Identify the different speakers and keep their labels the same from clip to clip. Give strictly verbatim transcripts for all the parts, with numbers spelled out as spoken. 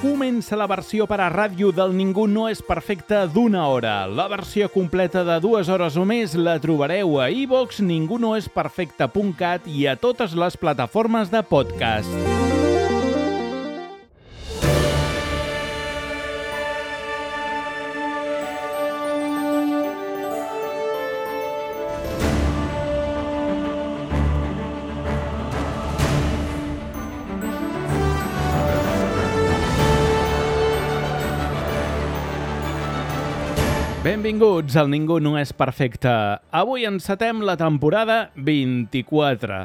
Speaker 1: comença la versió per a ràdio del Ningú no és perfecte d'una hora. La versió completa de dues hores o més la trobareu a iVox, ningú no és perfecte punt cat i a totes les plataformes de podcast. Benvinguts al Ningú no és perfecte. Avui encetem la temporada vint-i-quatre.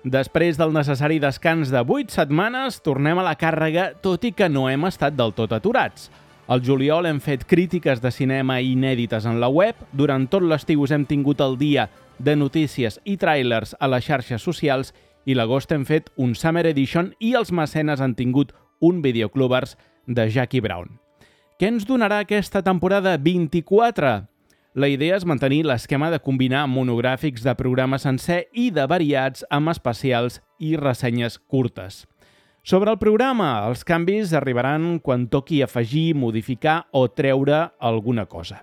Speaker 1: Després del necessari descans de vuit setmanes, tornem a la càrrega, tot i que no hem estat del tot aturats. Al juliol hem fet crítiques de cinema inèdites en la web, durant tot l'estiu us hem tingut el dia de notícies i tràilers a les xarxes socials i l'agost hem fet un Summer Edition i els mecenes han tingut un Videoclubers de Jackie Brown. Què ens donarà aquesta temporada vint-i-quatre? La idea és mantenir l'esquema de combinar monogràfics de programa sencer i de variats amb especials i ressenyes curtes. Sobre el programa, els canvis arribaran quan toqui afegir, modificar o treure alguna cosa.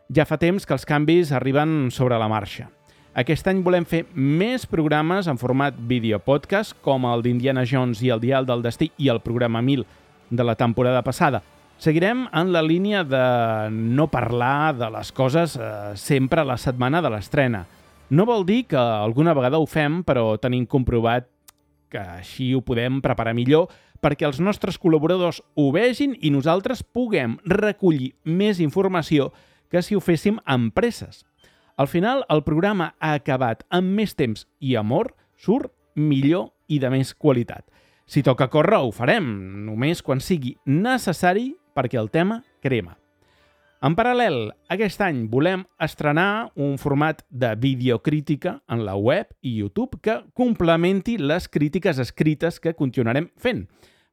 Speaker 1: Ja fa temps que els canvis arriben sobre la marxa. Aquest any volem fer més programes en format videopodcast, com el d'Indiana Jones i el Dial del Destí i el programa mil de la temporada passada. Seguirem en la línia de no parlar de les coses eh, sempre a la setmana de l'estrena. No vol dir que alguna vegada ho fem, però tenim comprovat que així ho podem preparar millor perquè els nostres col·laboradors ho vegin i nosaltres puguem recollir més informació que si ho féssim amb presses. Al final, el programa ha acabat amb més temps i amor, surt millor i de més qualitat. Si toca córrer, ho farem, només quan sigui necessari perquè el tema crema. En paral·lel, aquest any volem estrenar un format de videocrítica en la web i YouTube que complementi les crítiques escrites que continuarem fent.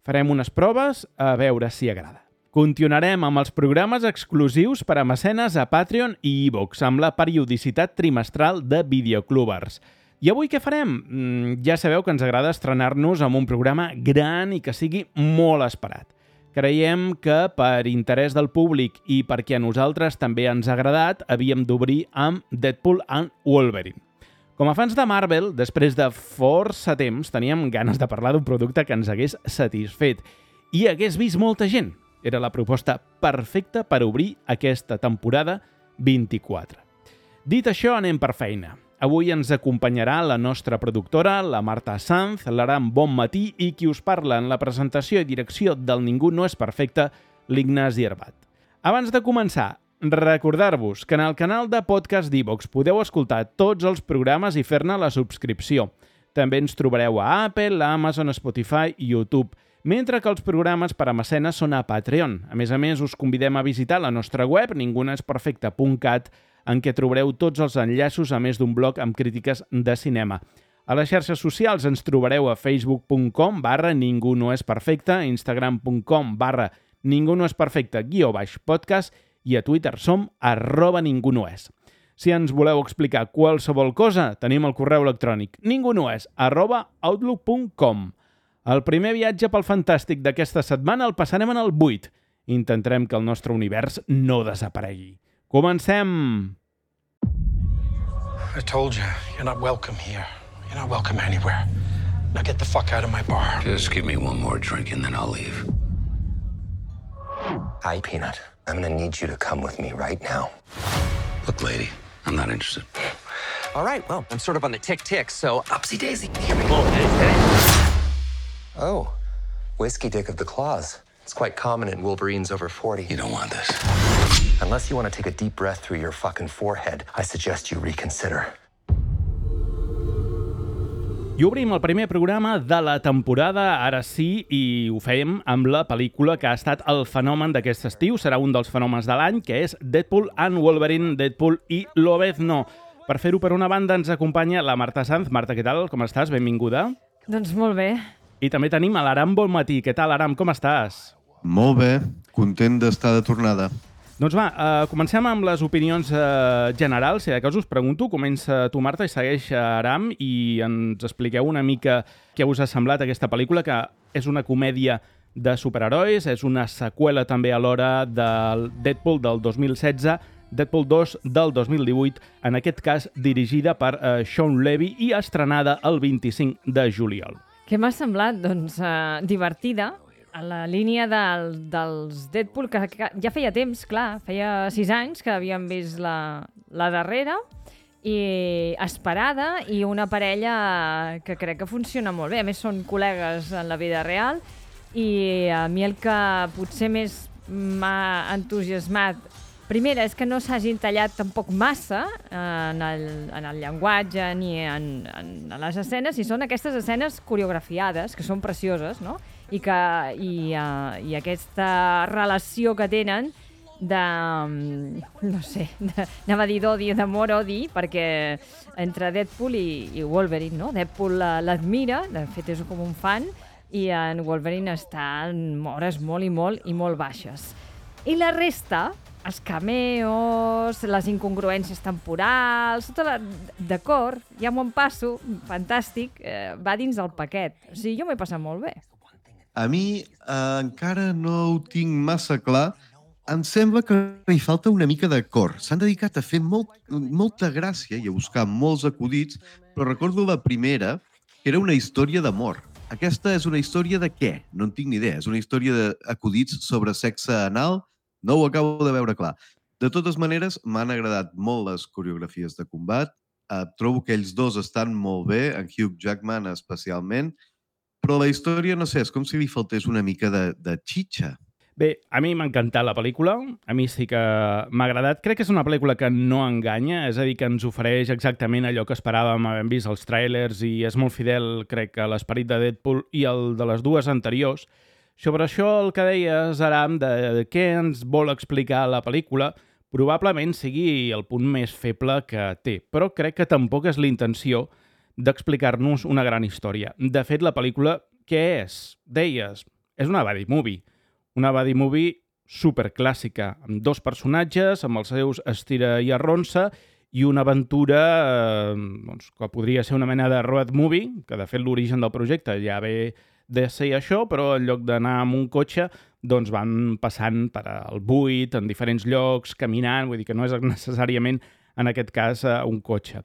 Speaker 1: Farem unes proves a veure si agrada. Continuarem amb els programes exclusius per a mecenes a Patreon i iVox, amb la periodicitat trimestral de Videoclubers. I avui què farem? Mm, ja sabeu que ens agrada estrenar-nos amb un programa gran i que sigui molt esperat. Creiem que per interès del públic i perquè a nosaltres també ens ha agradat, havíem d'obrir amb Deadpool and Wolverine. Com a fans de Marvel, després de força temps, teníem ganes de parlar d'un producte que ens hagués satisfet i hagués vist molta gent. Era la proposta perfecta per obrir aquesta temporada vint-i-quatre. Dit això, anem per feina. Avui ens acompanyarà la nostra productora, la Marta Sanz, l'Aram Bonmatí i qui us parla en la presentació i direcció del Ningú no és perfecte, l'Ignasi Herbat. Abans de començar, recordar-vos que en el canal de podcast d'iVox podeu escoltar tots els programes i fer-ne la subscripció. També ens trobareu a Apple, a Amazon, Spotify i YouTube, mentre que els programes per a mecenes són a Patreon. A més a més, us convidem a visitar la nostra web, ningú no és perfecte punt cat, en què trobareu tots els enllaços a més d'un blog amb crítiques de cinema. A les xarxes socials ens trobareu a facebook punt com barra ningú no és perfecte, instagram punt com barra ningú no és perfecte guió baix podcast i a Twitter som arroba ningú no és. Si ens voleu explicar qualsevol cosa, tenim el correu electrònic ningunoes arroba outlook punt com. El primer viatge pel fantàstic d'aquesta setmana el passarem en el buit. Intentarem que el nostre univers no desaparegui. Comencem!
Speaker 2: I told you, you're not welcome here. You're not welcome anywhere. Now get the fuck out of my bar.
Speaker 3: Just give me one more drink and then I'll leave.
Speaker 4: Hi, Peanut. I'm gonna need you to come with me right now.
Speaker 3: Look, lady, I'm not interested.
Speaker 4: All right, well, I'm sort of on the tick-tick, so upsy daisy.
Speaker 3: Here we go.
Speaker 4: Oh, whiskey dick of the claws. It's quite common in Wolverines over forty.
Speaker 3: You don't want this.
Speaker 4: Unless you want to take a deep breath through your fucking forehead, I suggest you reconsider.
Speaker 1: I obrim el primer programa de la temporada, ara sí, i ho fèiem amb la pel·lícula que ha estat el fenomen d'aquest estiu, serà un dels fenòmens de l'any, que és Deadpool and Wolverine, Deadpool i Lobezno. Per fer-ho, per una banda, ens acompanya la Marta Sanz. Marta, què tal? Com estàs? Benvinguda.
Speaker 5: Doncs molt bé.
Speaker 1: I també tenim a l'Aram Bonmatí. Què tal, Aram? Com estàs?
Speaker 6: Molt bé, content d'estar de tornada.
Speaker 1: Doncs va, uh, comencem amb les opinions uh, generals. Si de cas us pregunto, comença tu, Marta, i segueix Aram, i ens expliqueu una mica què us ha semblat aquesta pel·lícula, que és una comèdia de superherois. És una seqüela també alhora del Deadpool del dos mil setze, Deadpool dos del dos mil divuit, en aquest cas dirigida per uh, Shawn Levy i estrenada el vint-i-cinc de juliol.
Speaker 5: Què m'ha semblat? Doncs uh, divertida, a la línia del, dels Deadpool, que, que ja feia temps, clar, feia sis anys que havíem vist la, la darrera, i esperada, i una parella que crec que funciona molt bé. A més, són col·legues en la vida real, i a mi el que potser més m'ha entusiasmat, primera, és que no s'hagin tallat tampoc massa en el, en el llenguatge ni en, en les escenes, i són aquestes escenes coreografiades, que són precioses, no? I, que, i, uh, i aquesta relació que tenen de, no sé, de, anava a dir d'odi, d'amor-odi, perquè entre Deadpool i, i Wolverine, no? Deadpool l'admira, de fet és com un fan, i en Wolverine està en hores molt i molt i molt baixes. I la resta, els cameos, les incongruències temporals, tota la... D'acord, ja m'ho passo, fantàstic, eh, va dins del paquet. O sigui, jo m'he passat molt bé.
Speaker 6: A mi eh, encara no ho tinc massa clar. Em sembla que hi falta una mica de cor. S'han dedicat a fer molt, molta gràcia i a buscar molts acudits, però recordo la primera, que era una història d'amor. Aquesta és una història de què? No en tinc ni idea. És una història d'acudits sobre sexe anal? No ho acabo de veure clar. De totes maneres, m'han agradat molt les coreografies de combat. Uh, trobo que ells dos estan molt bé, en Hugh Jackman especialment, però la història, no sé, és com si li faltés una mica de, de xitxa.
Speaker 1: Bé, a mi m'ha encantat la pel·lícula, a mi sí que m'ha agradat. Crec que és una pel·lícula que no enganya, és a dir, que ens ofereix exactament allò que esperàvem, havent vist els tràilers, i és molt fidel, crec, a l'esperit de Deadpool i el de les dues anteriors. Sobre això, el que deies, Aram, de què ens vol explicar la pel·lícula, probablement sigui el punt més feble que té, però crec que tampoc és la intenció d'explicar-nos una gran història. De fet, la pel·lícula, què és? Deies, és una buddy movie. Una buddy movie superclàssica, amb dos personatges, amb els seus estira i arronsa, i una aventura eh, doncs, que podria ser una mena de road movie, que de fet l'origen del projecte ja ve de ser això, però en lloc d'anar amb un cotxe, doncs van passant per al buit, en diferents llocs, caminant, vull dir que no és necessàriament, en aquest cas, un cotxe.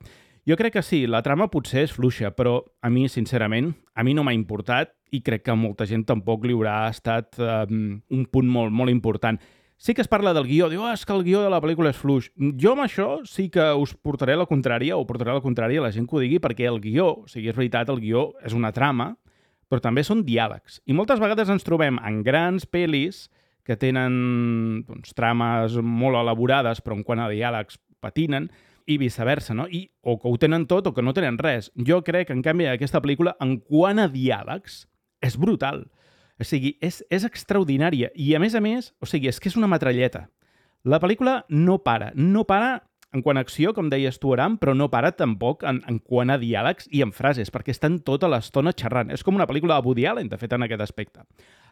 Speaker 1: Jo crec que sí, la trama potser és fluixa, però a mi, sincerament, a mi no m'ha importat i crec que a molta gent tampoc li haurà estat um, un punt molt, molt important. Sí que es parla del guió, diu, oh, és que el guió de la pel·lícula és fluix. Jo amb això sí que us portaré la contrària, o portaré la contrària a la gent que ho digui, perquè el guió, o sigui, és veritat, el guió és una trama, però també són diàlegs. I moltes vegades ens trobem en grans pel·lis que tenen doncs, trames molt elaborades, però en quant a diàlegs patinen, i viceversa, no? I, o que ho tenen tot o que no tenen res. Jo crec, en canvi, aquesta pel·lícula, en quant a diàlegs, és brutal. O sigui, és, és extraordinària. I, a més a més, o sigui, és que és una metralleta. La pel·lícula no para. No para en quant a acció, com deies tu, Aram, però no para tampoc en, en quant a diàlegs i en frases, perquè estan tota l'estona xerrant. És com una pel·lícula de Woody Allen, de fet, en aquest aspecte.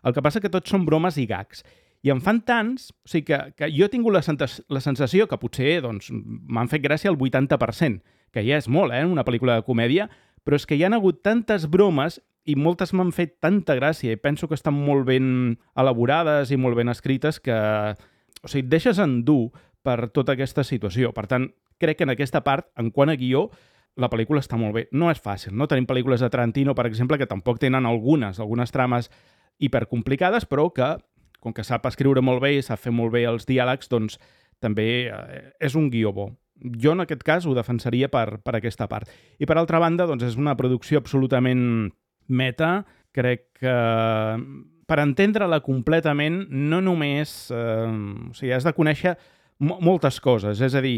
Speaker 1: El que passa que tots són bromes i gags. I en fan tants, o sigui que, que jo he tingut la, la sensació que potser doncs, m'han fet gràcia el vuitanta per cent, que ja és molt, eh, una pel·lícula de comèdia, però és que hi han hagut tantes bromes i moltes m'han fet tanta gràcia i penso que estan molt ben elaborades i molt ben escrites que, o sigui, et deixes endur per tota aquesta situació. Per tant, crec que en aquesta part, en quant a guió, la pel·lícula està molt bé. No és fàcil, no? Tenim pel·lícules de Tarantino, per exemple, que tampoc tenen algunes, algunes trames hipercomplicades, però que com que sap escriure molt bé i sap fer molt bé els diàlegs, doncs també eh, és un guió bo. Jo, en aquest cas, ho defensaria per, per aquesta part. I, per altra banda, doncs és una producció absolutament meta. Crec que per entendre-la completament no només... Eh, o sigui, has de conèixer mo- moltes coses. És a dir,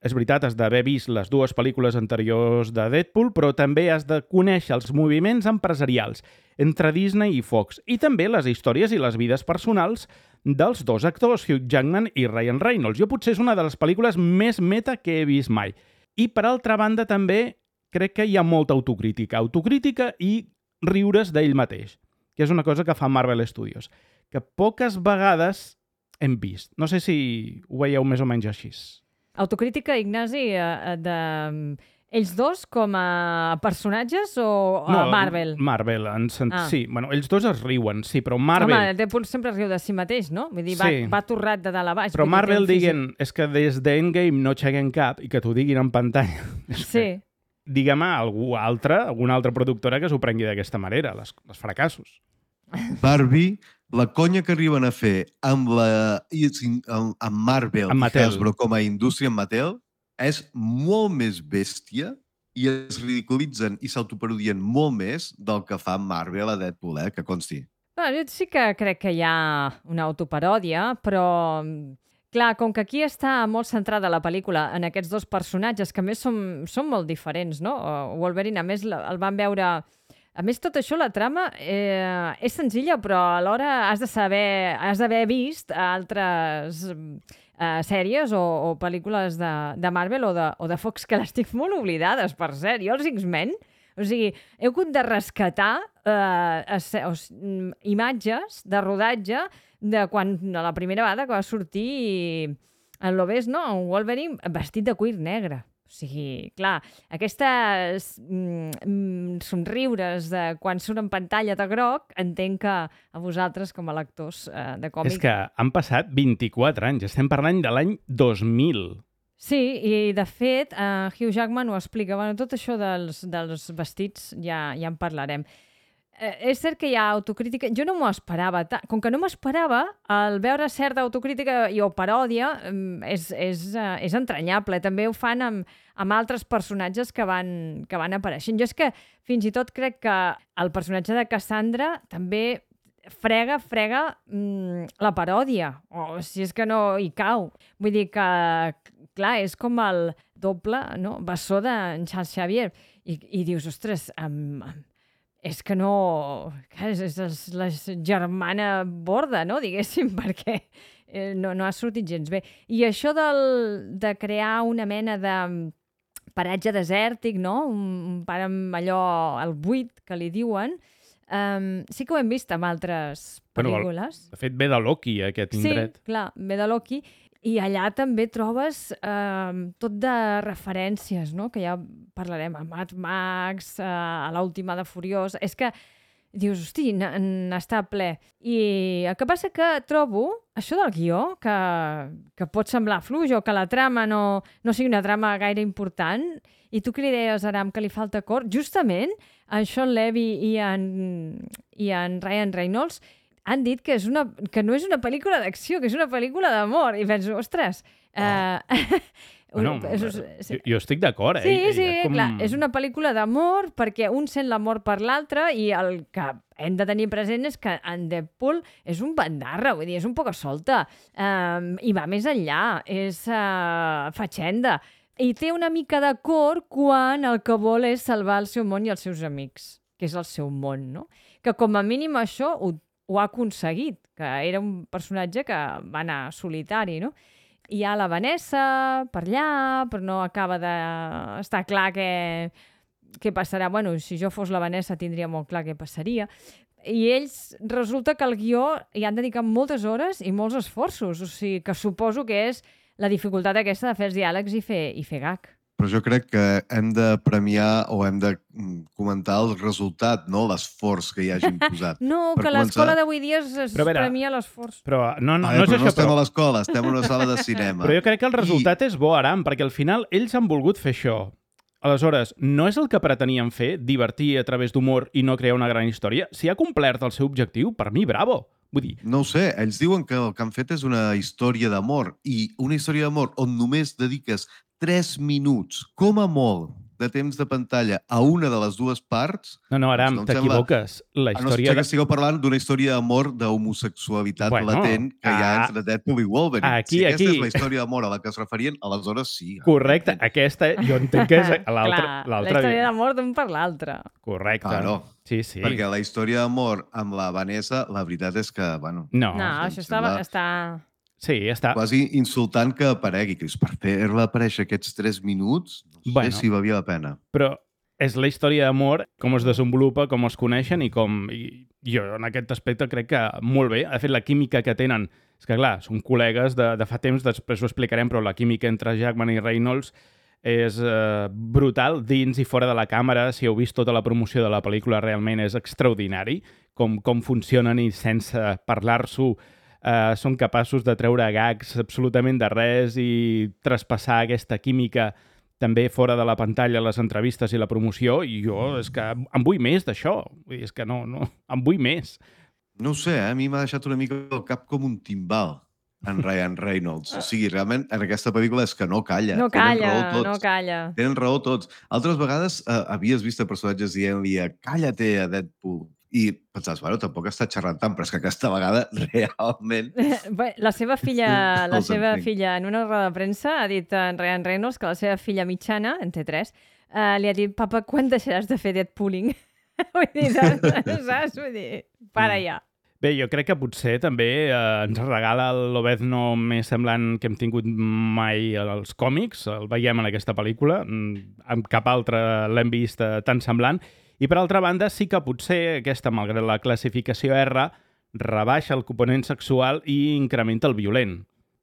Speaker 1: és veritat, has d'haver vist les dues pel·lícules anteriors de Deadpool, però també has de conèixer els moviments empresarials entre Disney i Fox, i també les històries i les vides personals dels dos actors, Hugh Jackman i Ryan Reynolds. Jo potser és una de les pel·lícules més meta que he vist mai. I, per altra banda, també crec que hi ha molta autocrítica. Autocrítica i riures d'ell mateix, que és una cosa que fa Marvel Studios, que poques vegades hem vist. No sé si ho veieu més o menys així.
Speaker 5: Autocrítica, Ignasi, de ells dos com a personatges o a Marvel?
Speaker 1: Marvel. En sent...
Speaker 5: Ah.
Speaker 1: Sí, bueno, ells dos es riuen, sí, però Marvel...
Speaker 5: Home, Deadpool sempre riu de si mateix, no? Vull dir, va,
Speaker 1: Sí.
Speaker 5: va torrat de dalt a baix.
Speaker 1: Però
Speaker 5: vull dir, té
Speaker 1: Marvel
Speaker 5: un físic-
Speaker 1: diguen, és que des d'Endgame no aixequen cap i que t'ho diguin en pantalla. És
Speaker 5: Sí.
Speaker 1: que, digue'm a algú altre, alguna altra productora que s'ho prengui d'aquesta manera, les, els fracassos.
Speaker 6: Barbie, la conya que arriben a fer amb, la, amb, amb Marvel
Speaker 1: Amb
Speaker 6: i
Speaker 1: Mattel.
Speaker 6: Hasbro com a indústria amb Mattel és molt més bèstia i es ridiculitzen i s'autoparodien molt més del que fa Marvel a Deadpool, eh? Que consti.
Speaker 5: Bueno, jo sí que crec que hi ha una autoparòdia, però clar, com que aquí està molt centrada la pel·lícula en aquests dos personatges, que a més són, són molt diferents, no? Wolverine, a més, el van veure... A més, tot això, la trama, eh, és senzilla, però alhora has de saber, has d'haver vist altres eh, sèries o, o pel·lícules de, de Marvel o de, o de Fox, que les tinc molt oblidades, per cert. Jo els X-Men, o sigui, he hagut de rescatar eh, o, imatges de rodatge de quan la primera vegada que va sortir en l'Obés, no? Un Wolverine vestit de cuir negre. O sigui, clar, aquestes mm, somriures de quan surt en pantalla de groc, entenc que a vosaltres, com a lectors eh, de còmic...
Speaker 1: És que han passat vint-i-quatre anys, estem parlant de l'any dos mil.
Speaker 5: Sí, i de fet, eh, Hugh Jackman ho explica. Bueno, tot això dels, dels vestits ja, ja en parlarem. Eh, és cert que hi ha autocrítica. Jo no m'ho esperava. Com que no m'ho esperava, al veure certa autocrítica i o paròdia és, és, uh, és entranyable. També ho fan amb, amb altres personatges que van, que van apareixent. Jo és que fins i tot crec que el personatge de Cassandra també frega, frega mm, la paròdia. O si és que no hi cau. Vull dir que, clar, és com el doble, no?, bessó d'en Charles Xavier. I, i dius, ostres, amb... amb és que no... És, és, és la germana borda, no?, diguéssim, perquè no, no ha sortit gens bé. I això del, de crear una mena de paratge desèrtic, no?, un, un pare amb allò, el buit, que li diuen, um, sí que ho hem vist en altres pel·lícules.
Speaker 1: Bueno, de fet, ve de Loki, aquest indret.
Speaker 5: Sí, clar, ve de Loki. I allà també trobes eh, tot de referències, no?, que ja parlarem, a Mad Max, eh, a l'última de Furiós. És que dius, hosti, n'està ple. I el que passa que trobo això del guió, que, que pot semblar fluix o que la trama no, no sigui una trama gaire important, i tu que li deies, Aram, que li falta cor, justament en Sean Levy i en, i en Ryan Reynolds han dit que, és una, que no és una pel·lícula d'acció, que és una pel·lícula d'amor. I penso, ostres... Oh. Eh,
Speaker 1: bueno,
Speaker 5: és,
Speaker 1: jo, jo estic d'acord, eh?
Speaker 5: Sí, sí,
Speaker 1: com...
Speaker 5: clar. És una pel·lícula d'amor perquè un sent l'amor per l'altre i el que hem de tenir present és que en Deadpool és un bandarra, vull dir, és un poca solta. Um, I va més enllà, és uh, fatxenda. I té una mica de cor quan el que vol és salvar el seu món i els seus amics, que és el seu món, no? Que com a mínim això ho ho ha aconseguit, que era un personatge que va anar solitari, no? Hi ha la Vanessa per allà, però no acaba d'estar clar què, què passarà. Bueno, si jo fos la Vanessa tindria molt clar què passaria. I ells, resulta que al guió hi han dedicat moltes hores i molts esforços, o sigui, que suposo que és la dificultat aquesta de fer els diàlegs i fer, i fer gag.
Speaker 6: Però jo crec que hem de premiar o hem de comentar el resultat, no l'esforç que hi hagin posat.
Speaker 5: No,
Speaker 6: per
Speaker 5: que
Speaker 6: començar...
Speaker 5: l'escola d'avui dia es, es
Speaker 1: veure,
Speaker 5: premia l'esforç.
Speaker 1: Però no, no,
Speaker 6: Ai,
Speaker 1: no és
Speaker 6: però
Speaker 1: això,
Speaker 6: no estem
Speaker 1: però...
Speaker 6: a l'escola, estem en una sala de cinema.
Speaker 1: Però jo crec que el resultat I... és bo, Aram, perquè al final ells han volgut fer això. Aleshores, no és el que pretenien fer, divertir a través d'humor i no crear una gran història? Si ha complert el seu objectiu, per mi, bravo! Vull dir...
Speaker 6: No ho sé, ells diuen que el que han fet és una història d'amor i una història d'amor on només dediques tres minuts, com a molt, de temps de pantalla a una de les dues parts...
Speaker 1: No, no, Aram,
Speaker 6: doncs no
Speaker 1: t'equivoques. La
Speaker 6: història... A no ser
Speaker 1: història...
Speaker 6: que estigueu parlant d'una història d'amor d'homosexualitat
Speaker 1: bueno,
Speaker 6: latent que hi ha
Speaker 1: ah,
Speaker 6: entre Deadpool i Wolverine.
Speaker 1: Aquí,
Speaker 6: si aquesta
Speaker 1: aquí.
Speaker 6: és la història d'amor a la que es referien, aleshores sí.
Speaker 1: Correcte, aquesta jo entenc que és l'altra.
Speaker 5: Clar, la història d'amor d'un per l'altre.
Speaker 1: Correcte.
Speaker 6: Claro.
Speaker 1: Sí, sí.
Speaker 6: Perquè la història d'amor amb la Vanessa, la veritat és que, bueno...
Speaker 1: No,
Speaker 5: no això està, està...
Speaker 1: Sí, està...
Speaker 6: Quasi insultant que aparegui, que per fer-la aparèixer aquests tres minuts, no sé bueno, si valia la pena.
Speaker 1: Però és la història d'amor, com es desenvolupa, com es coneixen i com... I jo en aquest aspecte crec que molt bé. De fet, la química que tenen... És que, clar, són col·legues de, de fa temps, després ho explicarem, però la química entre Jackman i Reynolds és eh, brutal, dins i fora de la càmera. Si heu vist tota la promoció de la pel·lícula, realment és extraordinari com, com funcionen i sense parlar-s'ho eh, són capaços de treure gags absolutament de res i traspassar aquesta química també fora de la pantalla, les entrevistes i la promoció, i jo és que em vull més d'això. Vull dir, és que no, no, em vull més.
Speaker 6: No ho sé, eh? A mi m'ha deixat una mica el cap com un timbal en Ryan Reynolds. O sigui, realment, en aquesta pel·lícula és que no calla.
Speaker 5: No
Speaker 6: Tenen
Speaker 5: calla,
Speaker 6: raó tots.
Speaker 5: no calla.
Speaker 6: Tenen raó tots. Altres vegades eh, havies vist a personatges dient-li calla-te a Deadpool i pensaves, bueno, tampoc està xerrant tant, però és que aquesta vegada realment...
Speaker 5: Bé, la seva filla, la
Speaker 6: Els
Speaker 5: seva
Speaker 6: entenc.
Speaker 5: filla en una roda de premsa ha dit a en Ryan Reynolds que la seva filla mitjana, en té tres, eh, li ha dit, papa, quan deixaràs de fer Deadpooling? Vull dir, saps? Vull dir, para ja.
Speaker 1: Bé, jo crec que potser també eh, ens regala l'Obezno més semblant que hem tingut mai als còmics. El veiem en aquesta pel·lícula. Amb cap altre l'hem vist eh, tan semblant. I per altra banda, sí que potser aquesta, malgrat la classificació R, rebaixa el component sexual i incrementa el violent.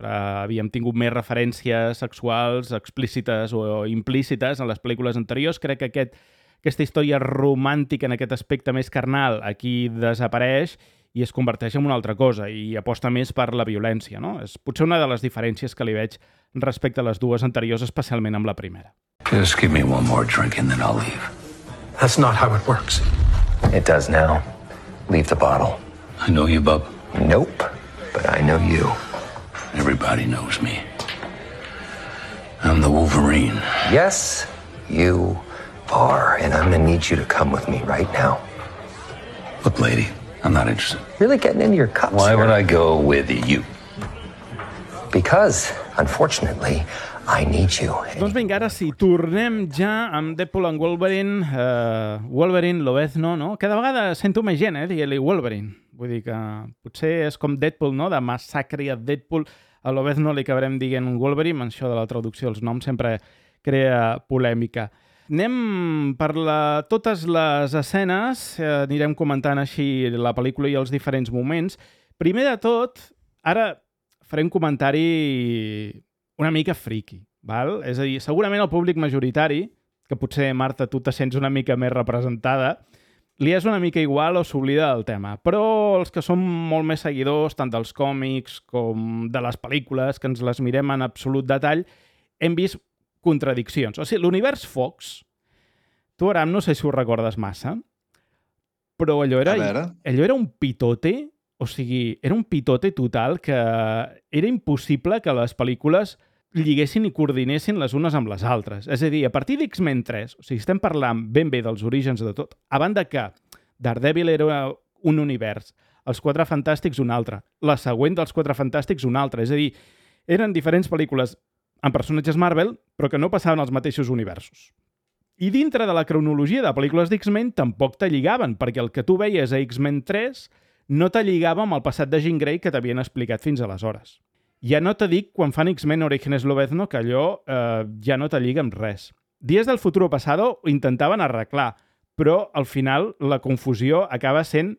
Speaker 1: Eh, havíem tingut més referències sexuals explícites o implícites en les pel·lícules anteriors. Crec que aquest, aquesta història romàntica en aquest aspecte més carnal aquí desapareix i es converteix en una altra cosa i aposta més per la violència, no? És potser una de les diferències que li veig respecte a les dues anteriors, especialment amb la primera.
Speaker 3: Just give me one more drink and then I'll leave.
Speaker 2: That's not how it works.
Speaker 4: It does now. Leave the bottle.
Speaker 3: I know you, bub.
Speaker 4: Nope, but I know you.
Speaker 3: Everybody knows me. I'm the Wolverine.
Speaker 4: Yes, you are, and I'm gonna need you to come with me right now.
Speaker 3: Look, lady, I'm not interested.
Speaker 4: Really getting into your cups
Speaker 3: Why
Speaker 4: here.
Speaker 3: would I go with you?
Speaker 4: Because, unfortunately, I need you.
Speaker 1: Doncs vinga, ara sí, tornem ja amb Deadpool and Wolverine, uh, Wolverine, Lobezno, no? Cada vegada sento més gent, eh, dient-li Wolverine. Vull dir que potser és com Deadpool, no?, de Massacre a Deadpool. A Lobezno li acabarem dient Wolverine, això de la traducció dels noms sempre crea polèmica. Anem per la, totes les escenes, eh, anirem comentant així la pel·lícula i els diferents moments. Primer de tot, ara faré un comentari una mica friki, val? És a dir, segurament el públic majoritari, que potser, Marta, tu te sents una mica més representada, li és una mica igual o s'oblida del tema. Però els que som molt més seguidors, tant dels còmics com de les pel·lícules, que ens les mirem en absolut detall, hem vist contradiccions. O sigui, l'univers Fox, tu, Aram, no sé si ho recordes massa, però allò era, allò era un pitote, o sigui, era un pitote total que era impossible que les pel·lícules lliguessin i coordinessin les unes amb les altres. És a dir, a partir d'X-Men tres, o sigui, estem parlant ben bé dels orígens de tot, a banda que Daredevil era un univers, els Quatre Fantàstics un altre, la següent dels Quatre Fantàstics un altre, és a dir, eren diferents pel·lícules amb personatges Marvel, però que no passaven als mateixos universos. I dintre de la cronologia de pel·lícules d'X-Men tampoc te lligaven, perquè el que tu veies a X-Men tres no te lligava amb el passat de Jean Grey que t'havien explicat fins aleshores. Ja no te dic quan fan X-Men Orígenes Lobezno que allò eh, ja no te lliga amb res. Dies del Futuro Pasado ho intentaven arreglar, però al final la confusió acaba sent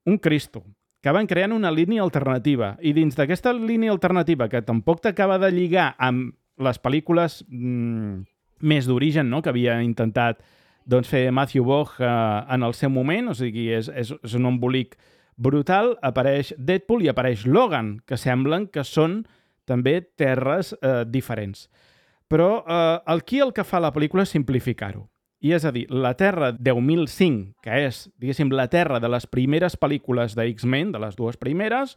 Speaker 1: un Cristo. Acaben creant una línia alternativa i dins d'aquesta línia alternativa que tampoc t'acaba de lligar amb les pel·lícules mmm, més d'origen, no?, que havia intentat doncs, fer Matthew Vaughn eh, en el seu moment, o sigui, és, és, és un embolic brutal, apareix Deadpool i apareix Logan, que semblen que són també terres eh, diferents. Però eh, aquí el que fa la pel·lícula és simplificar-ho. I és a dir, la Terra deu mil cinc, que és, diguéssim, la Terra de les primeres pel·lícules de X-Men, de les dues primeres,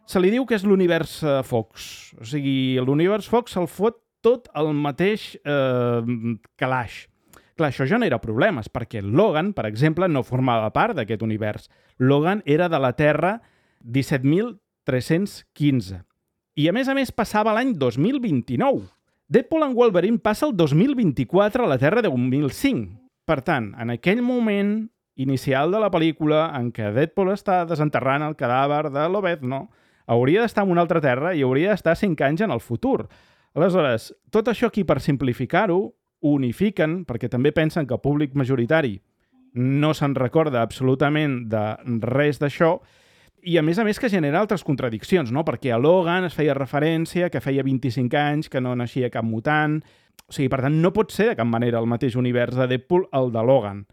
Speaker 1: se li diu que és l'univers eh, Fox. O sigui, l'univers Fox se'l fot tot el mateix eh, calaix. Clar, això genera problemes, perquè Logan, per exemple, no formava part d'aquest univers. Logan era de la Terra disset mil tres-cents quinze. I, a més a més, passava l'any dos mil vint-i-nou. Deadpool and Wolverine passa el dos mil vint-i-quatre a la Terra deu mil cinc. Per tant, en aquell moment inicial de la pel·lícula en què Deadpool està desenterrant el cadàver de Lobezno, hauria d'estar en una altra Terra i hauria d'estar cinc anys en el futur. Aleshores, tot això aquí, per simplificar-ho, unifiquen, perquè també pensen que el públic majoritari no se'n recorda absolutament de res d'això, i a més a més que genera altres contradiccions, no? Perquè a Logan es feia referència que feia vint-i-cinc anys, que no naixia cap mutant, O sigui, per tant, no pot ser de cap manera el mateix univers de Deadpool el de Logan.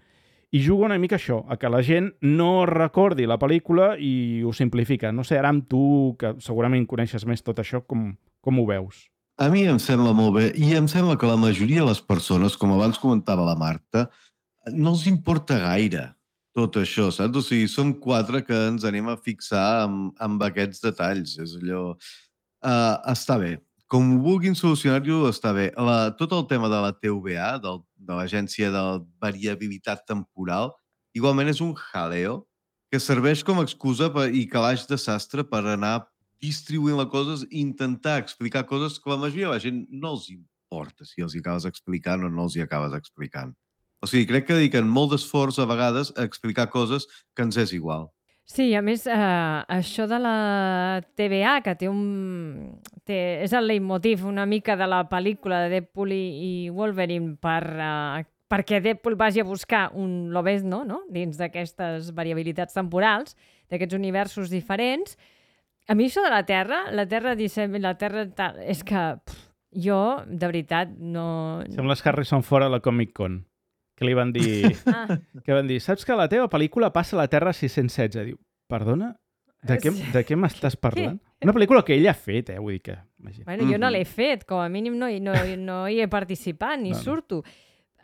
Speaker 1: I juga una mica això, a que la gent no recordi la pel·lícula i ho simplifica. No sé, ara amb tu, que segurament coneixes més tot això, com, com ho veus?
Speaker 6: A mi em sembla molt bé i em sembla que la majoria de les persones, com abans comentava la Marta, no els importa gaire tot això, saps? O sigui, som quatre que ens anem a fixar amb, amb aquests detalls. És allò... Uh, està bé. Com ho vulguin solucionar-ho, està bé. La, tot el tema de la T V A, del, de l'Agència de Variabilitat Temporal, igualment és un jaleo que serveix com a excusa per, i calaix de sastre per anar distribuint les coses i intentar explicar coses que la majoria de la gent no els importa si els hi acabes explicant o no els hi acabes explicant. O sigui, crec que dediquen molt d'esforç a vegades a explicar coses que ens és igual.
Speaker 5: Sí, a més, eh, això de la T V A, que té un... Té, és el leitmotiv una mica de la pel·lícula de Deadpool i, i Wolverine per, eh, perquè Deadpool vagi a buscar un Lobezno, no?, dins d'aquestes variabilitats temporals, d'aquests universos diferents. A mi això de la Terra, la Terra dissem, la Terra tal, és que pff, jo, de veritat, no...
Speaker 1: Sembles Harrison Ford a la Comic Con, que li van dir... ah. que van dir, saps que la teva pel·lícula passa a la Terra sis-cents setze? Diu, perdona? De què, de què m'estàs parlant? Què? Una pel·lícula que ell ha fet, eh? Vull dir que... Imagina.
Speaker 5: Bueno, jo no l'he fet, com a mínim no, no, no hi he participat, ni no, surto.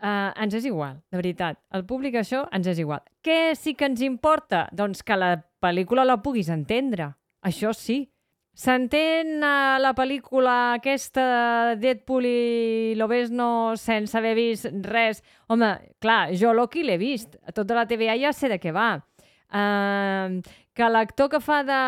Speaker 5: Uh, ens és igual, de veritat. El públic això ens és igual. Què sí que ens importa? Doncs que la pel·lícula la puguis entendre. Això sí. S'entén a la pel·lícula aquesta Deadpool i Lobezno sense haver vist res? Home, clar, jo Loki l'he vist. A tota la T V A ja sé de què va. Uh, que l'actor que fa de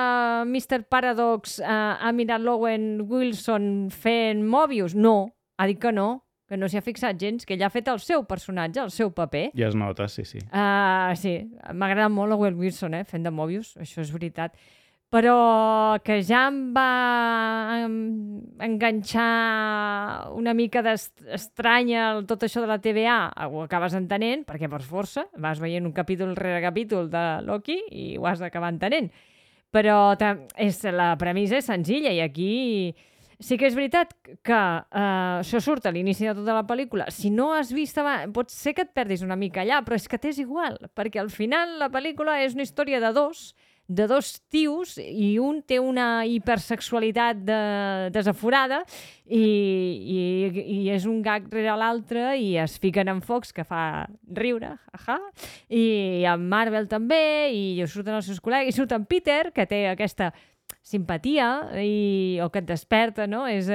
Speaker 5: mister Paradox uh, ha mirat l'Owen Wilson fent Mobius? No, ha dit que no, que no s'hi ha fixat gens, que ell ha fet el seu personatge, el seu paper.
Speaker 1: Ja es nota, sí, sí.
Speaker 5: Uh, sí, m'agrada molt l'Owen Wilson, eh, fent de Mobius, això és veritat. Però que ja em va enganxar una mica estranya tot això de la T V A, ho acabes entenent, perquè per força vas veient un capítol rere capítol de Loki i ho has d'acabar entenent. Però és, la premissa és senzilla i aquí sí que és veritat que uh, això surt a l'inici de tota la pel·lícula. Si no has vist abans, pot ser que et perdis una mica allà, però és que t'és igual, perquè al final la pel·lícula és una història de dos, de dos tios i un té una hipersexualitat de, desaforada i, i, i és un gag rere l'altre i es fiquen en focs que fa riure, jaja, i en Marvel també, i surten els seus col·legues, i surt en Peter, que té aquesta simpatia i, o que et desperta, no? És,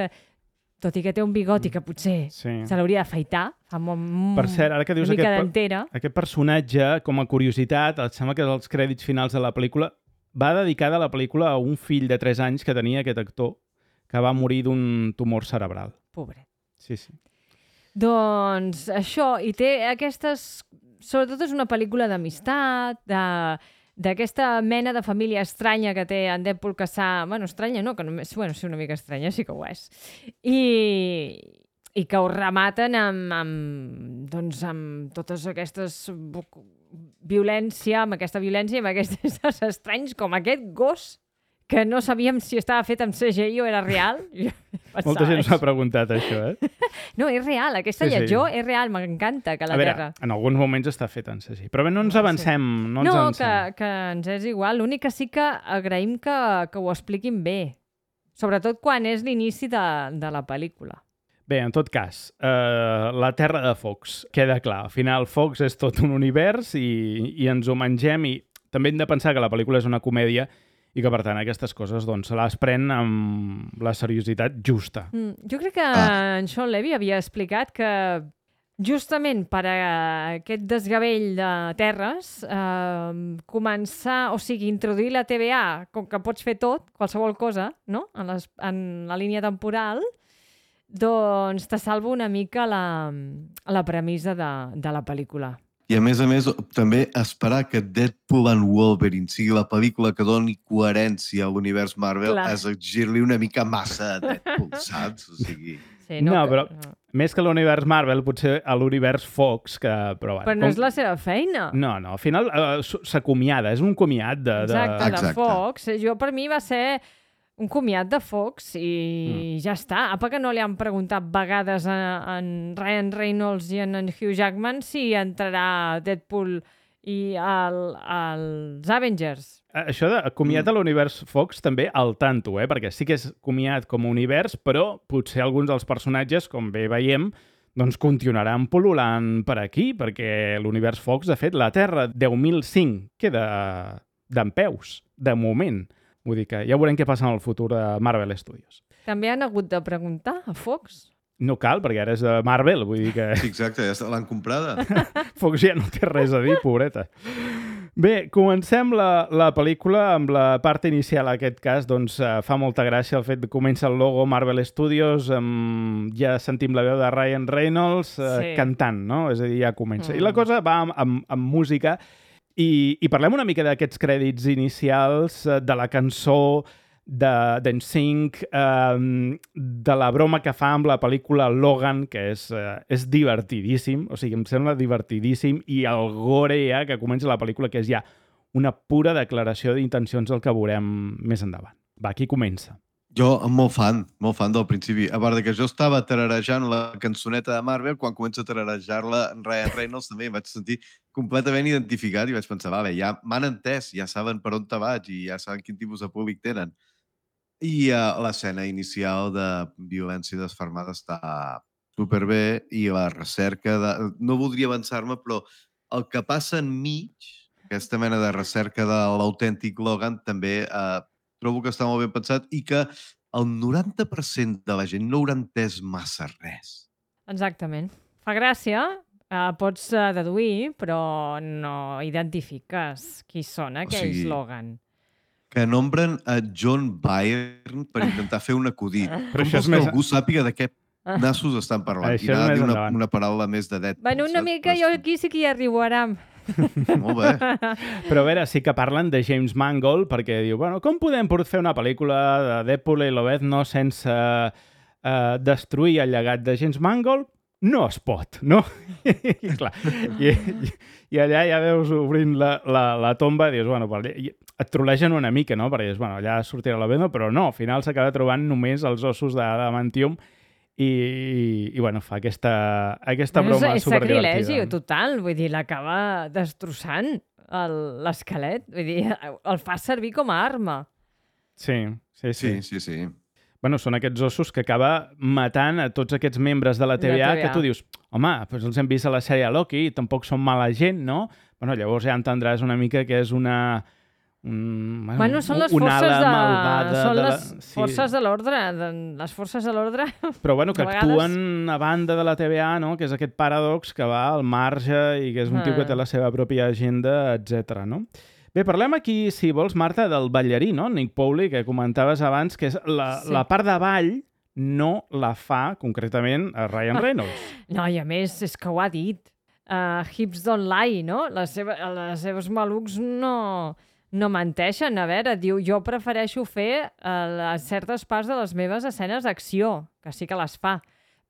Speaker 5: tot i que té un bigoti que potser sí. se l'hauria d'afaitar, fa molt,
Speaker 1: per cert, ara que dius
Speaker 5: una mica
Speaker 1: aquest,
Speaker 5: d'entera.
Speaker 1: Aquest personatge, com a curiositat, et sembla que els crèdits finals de la pel·lícula va dedicada a la pel·lícula a un fill de tres anys que tenia aquest actor, que va morir d'un tumor cerebral.
Speaker 5: Pobret.
Speaker 1: Sí, sí.
Speaker 5: Doncs això, i té aquestes... Sobretot és una pel·lícula d'amistat, de... d'aquesta mena de família estranya que té en Deadpool, que s'ha... Bueno, estranya no, que només... Bueno, sí, una mica estranya, sí que ho és. I, i que ho rematen amb, amb, doncs, amb totes aquestes... violència, amb aquesta violència i amb aquests estranys, com aquest gos, que no sabíem si estava fet amb C G I o era real.
Speaker 1: Molta gent s'ha preguntat això, eh?
Speaker 5: No, és real, aquesta sí, lletjor sí. és real, m'encanta que la
Speaker 1: a veure,
Speaker 5: Terra...
Speaker 1: en alguns moments està fet en C G I, però bé, no ens avancem. No, ens
Speaker 5: no
Speaker 1: avancem.
Speaker 5: Que, que ens és igual, l'únic que sí que agraïm que, que ho expliquin bé, sobretot quan és l'inici de, de la pel·lícula.
Speaker 1: Bé, en tot cas, eh, la Terra de Fox, queda clar. Al final, Fox és tot un univers i, i ens ho mengem i també hem de pensar que la pel·lícula és una comèdia i que, per tant, aquestes coses doncs, se les pren amb la seriositat justa. Mm,
Speaker 5: jo crec que ah. en Sean Levy havia explicat que justament per a aquest desgavell de terres, eh, començar, o sigui, introduir la T V A, com que pots fer tot, qualsevol cosa, no?, en, les, en la línia temporal, doncs te salvo una mica la, la premissa de, de la pel·lícula.
Speaker 6: I a més a més, també esperar que Deadpool and Wolverine sigui la pel·lícula que doni coherència a l'univers Marvel Clar. és exigir-li una mica massa a Deadpool, saps? O sigui...
Speaker 5: Sí, no,
Speaker 1: no,
Speaker 5: que...
Speaker 1: però més que l'univers Marvel, potser a l'univers Fox, que... Però,
Speaker 5: però no com... és la seva feina.
Speaker 1: No, no, al final uh, s'acomiada, és un comiat de...
Speaker 5: Exacte,
Speaker 1: de...
Speaker 5: de Exacte. Fox. Jo, per mi, va ser... un comiat de Fox i mm. ja està. Apa que no li han preguntat vegades a, a en Ryan Reynolds i en, en Hugh Jackman si entrarà Deadpool i el, els Avengers.
Speaker 1: Això de comiat mm. a l'univers Fox també al tanto, eh? Perquè sí que és comiat com a univers, però potser alguns dels personatges, com bé veiem, doncs continuaran pol·lulant per aquí, perquè l'univers Fox, de fet, la Terra deu mil cinc queda d'en peus, de moment. Vull dir que ja veurem què passa en el futur de Marvel Studios.
Speaker 5: També han hagut de preguntar a Fox?
Speaker 1: No cal, perquè ara és de Marvel, vull dir que...
Speaker 6: Sí, exacte, ja l'han comprada.
Speaker 1: Fox ja no té res a dir, pobreta. Bé, comencem la, la pel·lícula amb la part inicial, en aquest cas, doncs uh, fa molta gràcia el fet que comença el logo Marvel Studios, amb, ja sentim la veu de Ryan Reynolds uh, sí. cantant, no? És a dir, ja comença. Mm. I la cosa va amb, amb, amb música. I, i parlem una mica d'aquests crèdits inicials, de la cançó d'en Sync, eh, de la broma que fa amb la pel·lícula Logan, que és, eh, és divertidíssim, o sigui, em sembla divertidíssim, i el gore ja que comença la pel·lícula, que és ja una pura declaració d'intencions del que veurem més endavant. Va, aquí comença.
Speaker 6: Jo, molt fan, molt fan del principi. A part que jo estava tararejant la cançoneta de Marvel, quan comença a tararejar-la en Ryan Reynolds també em vaig sentir completament identificat i vaig pensar, vale, ja m'han entès, ja saben per on te vaig i ja saben quin tipus de públic tenen. I uh, l'escena inicial de violència desfermada està superbé i la recerca de... No voldria avançar-me, però el que passa enmig, aquesta mena de recerca de l'autèntic Logan, també... Uh, trobo que està molt ben pensat i que el noranta per cent de la gent no haurà entès massa res.
Speaker 5: Exactament. Fa gràcia, eh, pots uh, deduir, però no identifiques qui són aquells, o sigui, Logan.
Speaker 6: Que nombren a John Byrne per intentar fer un acudit.
Speaker 1: Però
Speaker 6: com vols que més... algú sàpiga de què nassos estan parlant?
Speaker 1: Això
Speaker 6: I anar a dir una,
Speaker 1: endavant.
Speaker 6: una paraula més de Deadpool.
Speaker 5: Bueno, una mica jo aquí sí que hi arribarem.
Speaker 6: Molt bé.
Speaker 1: Però a veure, sí que parlen de James Mangold, perquè diu, bueno, com podem fer una pel·lícula de Deadpool i Lobezno sense uh, destruir el llegat de James Mangold? No es pot, no? I, clar, i, i allà ja veus obrint la, la, la tomba i dius, bueno, et trolegen una mica, no? Perquè dius, bueno, allà sortirà Lobezno, però no, al final s'acaba trobant només els ossos d'adamantium i, i, i bueno, fa aquesta, aquesta
Speaker 5: bueno,
Speaker 1: broma
Speaker 5: és, és
Speaker 1: superdivertida.
Speaker 5: sacrilegi total, vull dir, l'acaba destrossant l'esquelet, vull dir, el fa servir com a arma.
Speaker 1: Sí, sí, sí.
Speaker 6: Sí, sí, sí.
Speaker 1: Bueno, són aquests ossos que acaba matant a tots aquests membres de la T V A, que tu dius, home, doncs els hem vist a la sèrie Loki, tampoc són mala gent, no? Bueno, llavors ja entendràs una mica que és una... Un, bueno,
Speaker 5: bueno, són les
Speaker 1: una
Speaker 5: forces
Speaker 1: ala
Speaker 5: de,
Speaker 1: malvada
Speaker 5: són
Speaker 1: de la...
Speaker 5: les
Speaker 1: sí.
Speaker 5: forces de l'ordre, de, les forces de l'ordre.
Speaker 1: Però bueno, que
Speaker 5: vegades...
Speaker 1: actuen a banda de la T V A, no? Que és aquest paradox que va al marge i que és un ah. tio que té la seva pròpia agenda, etcètera, no? Bé, parlem aquí, si vols, Marta, del ballarí, no? Nick Powley, que comentaves abans, que és la, sí. la part de ball no la fa, concretament, a Ryan Reynolds.
Speaker 5: No, i a més, és que ho ha dit. Uh, hips don't lie, no? Les, seva, les seves malucs no... no menteixen, a veure, diu, jo prefereixo fer uh, certes parts de les meves escenes d'acció, que sí que les fa,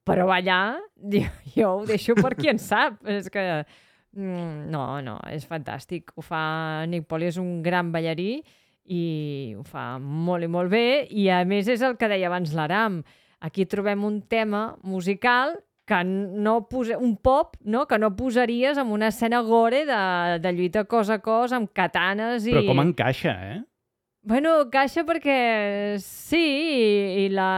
Speaker 5: però ballar, diu, jo ho deixo per qui en sap, és que, mm, no, no, és fantàstic, ho fa Nick Powley, és un gran ballarí i ho fa molt i molt bé, i a més és el que deia abans l'Aram, aquí trobem un tema musical que no posa, un pop, no? Que no posaries en una escena gore de, de lluita cos a cos amb katanes i...
Speaker 1: Però com encaixa, eh?
Speaker 5: Bueno, encaixa perquè sí, i, i la,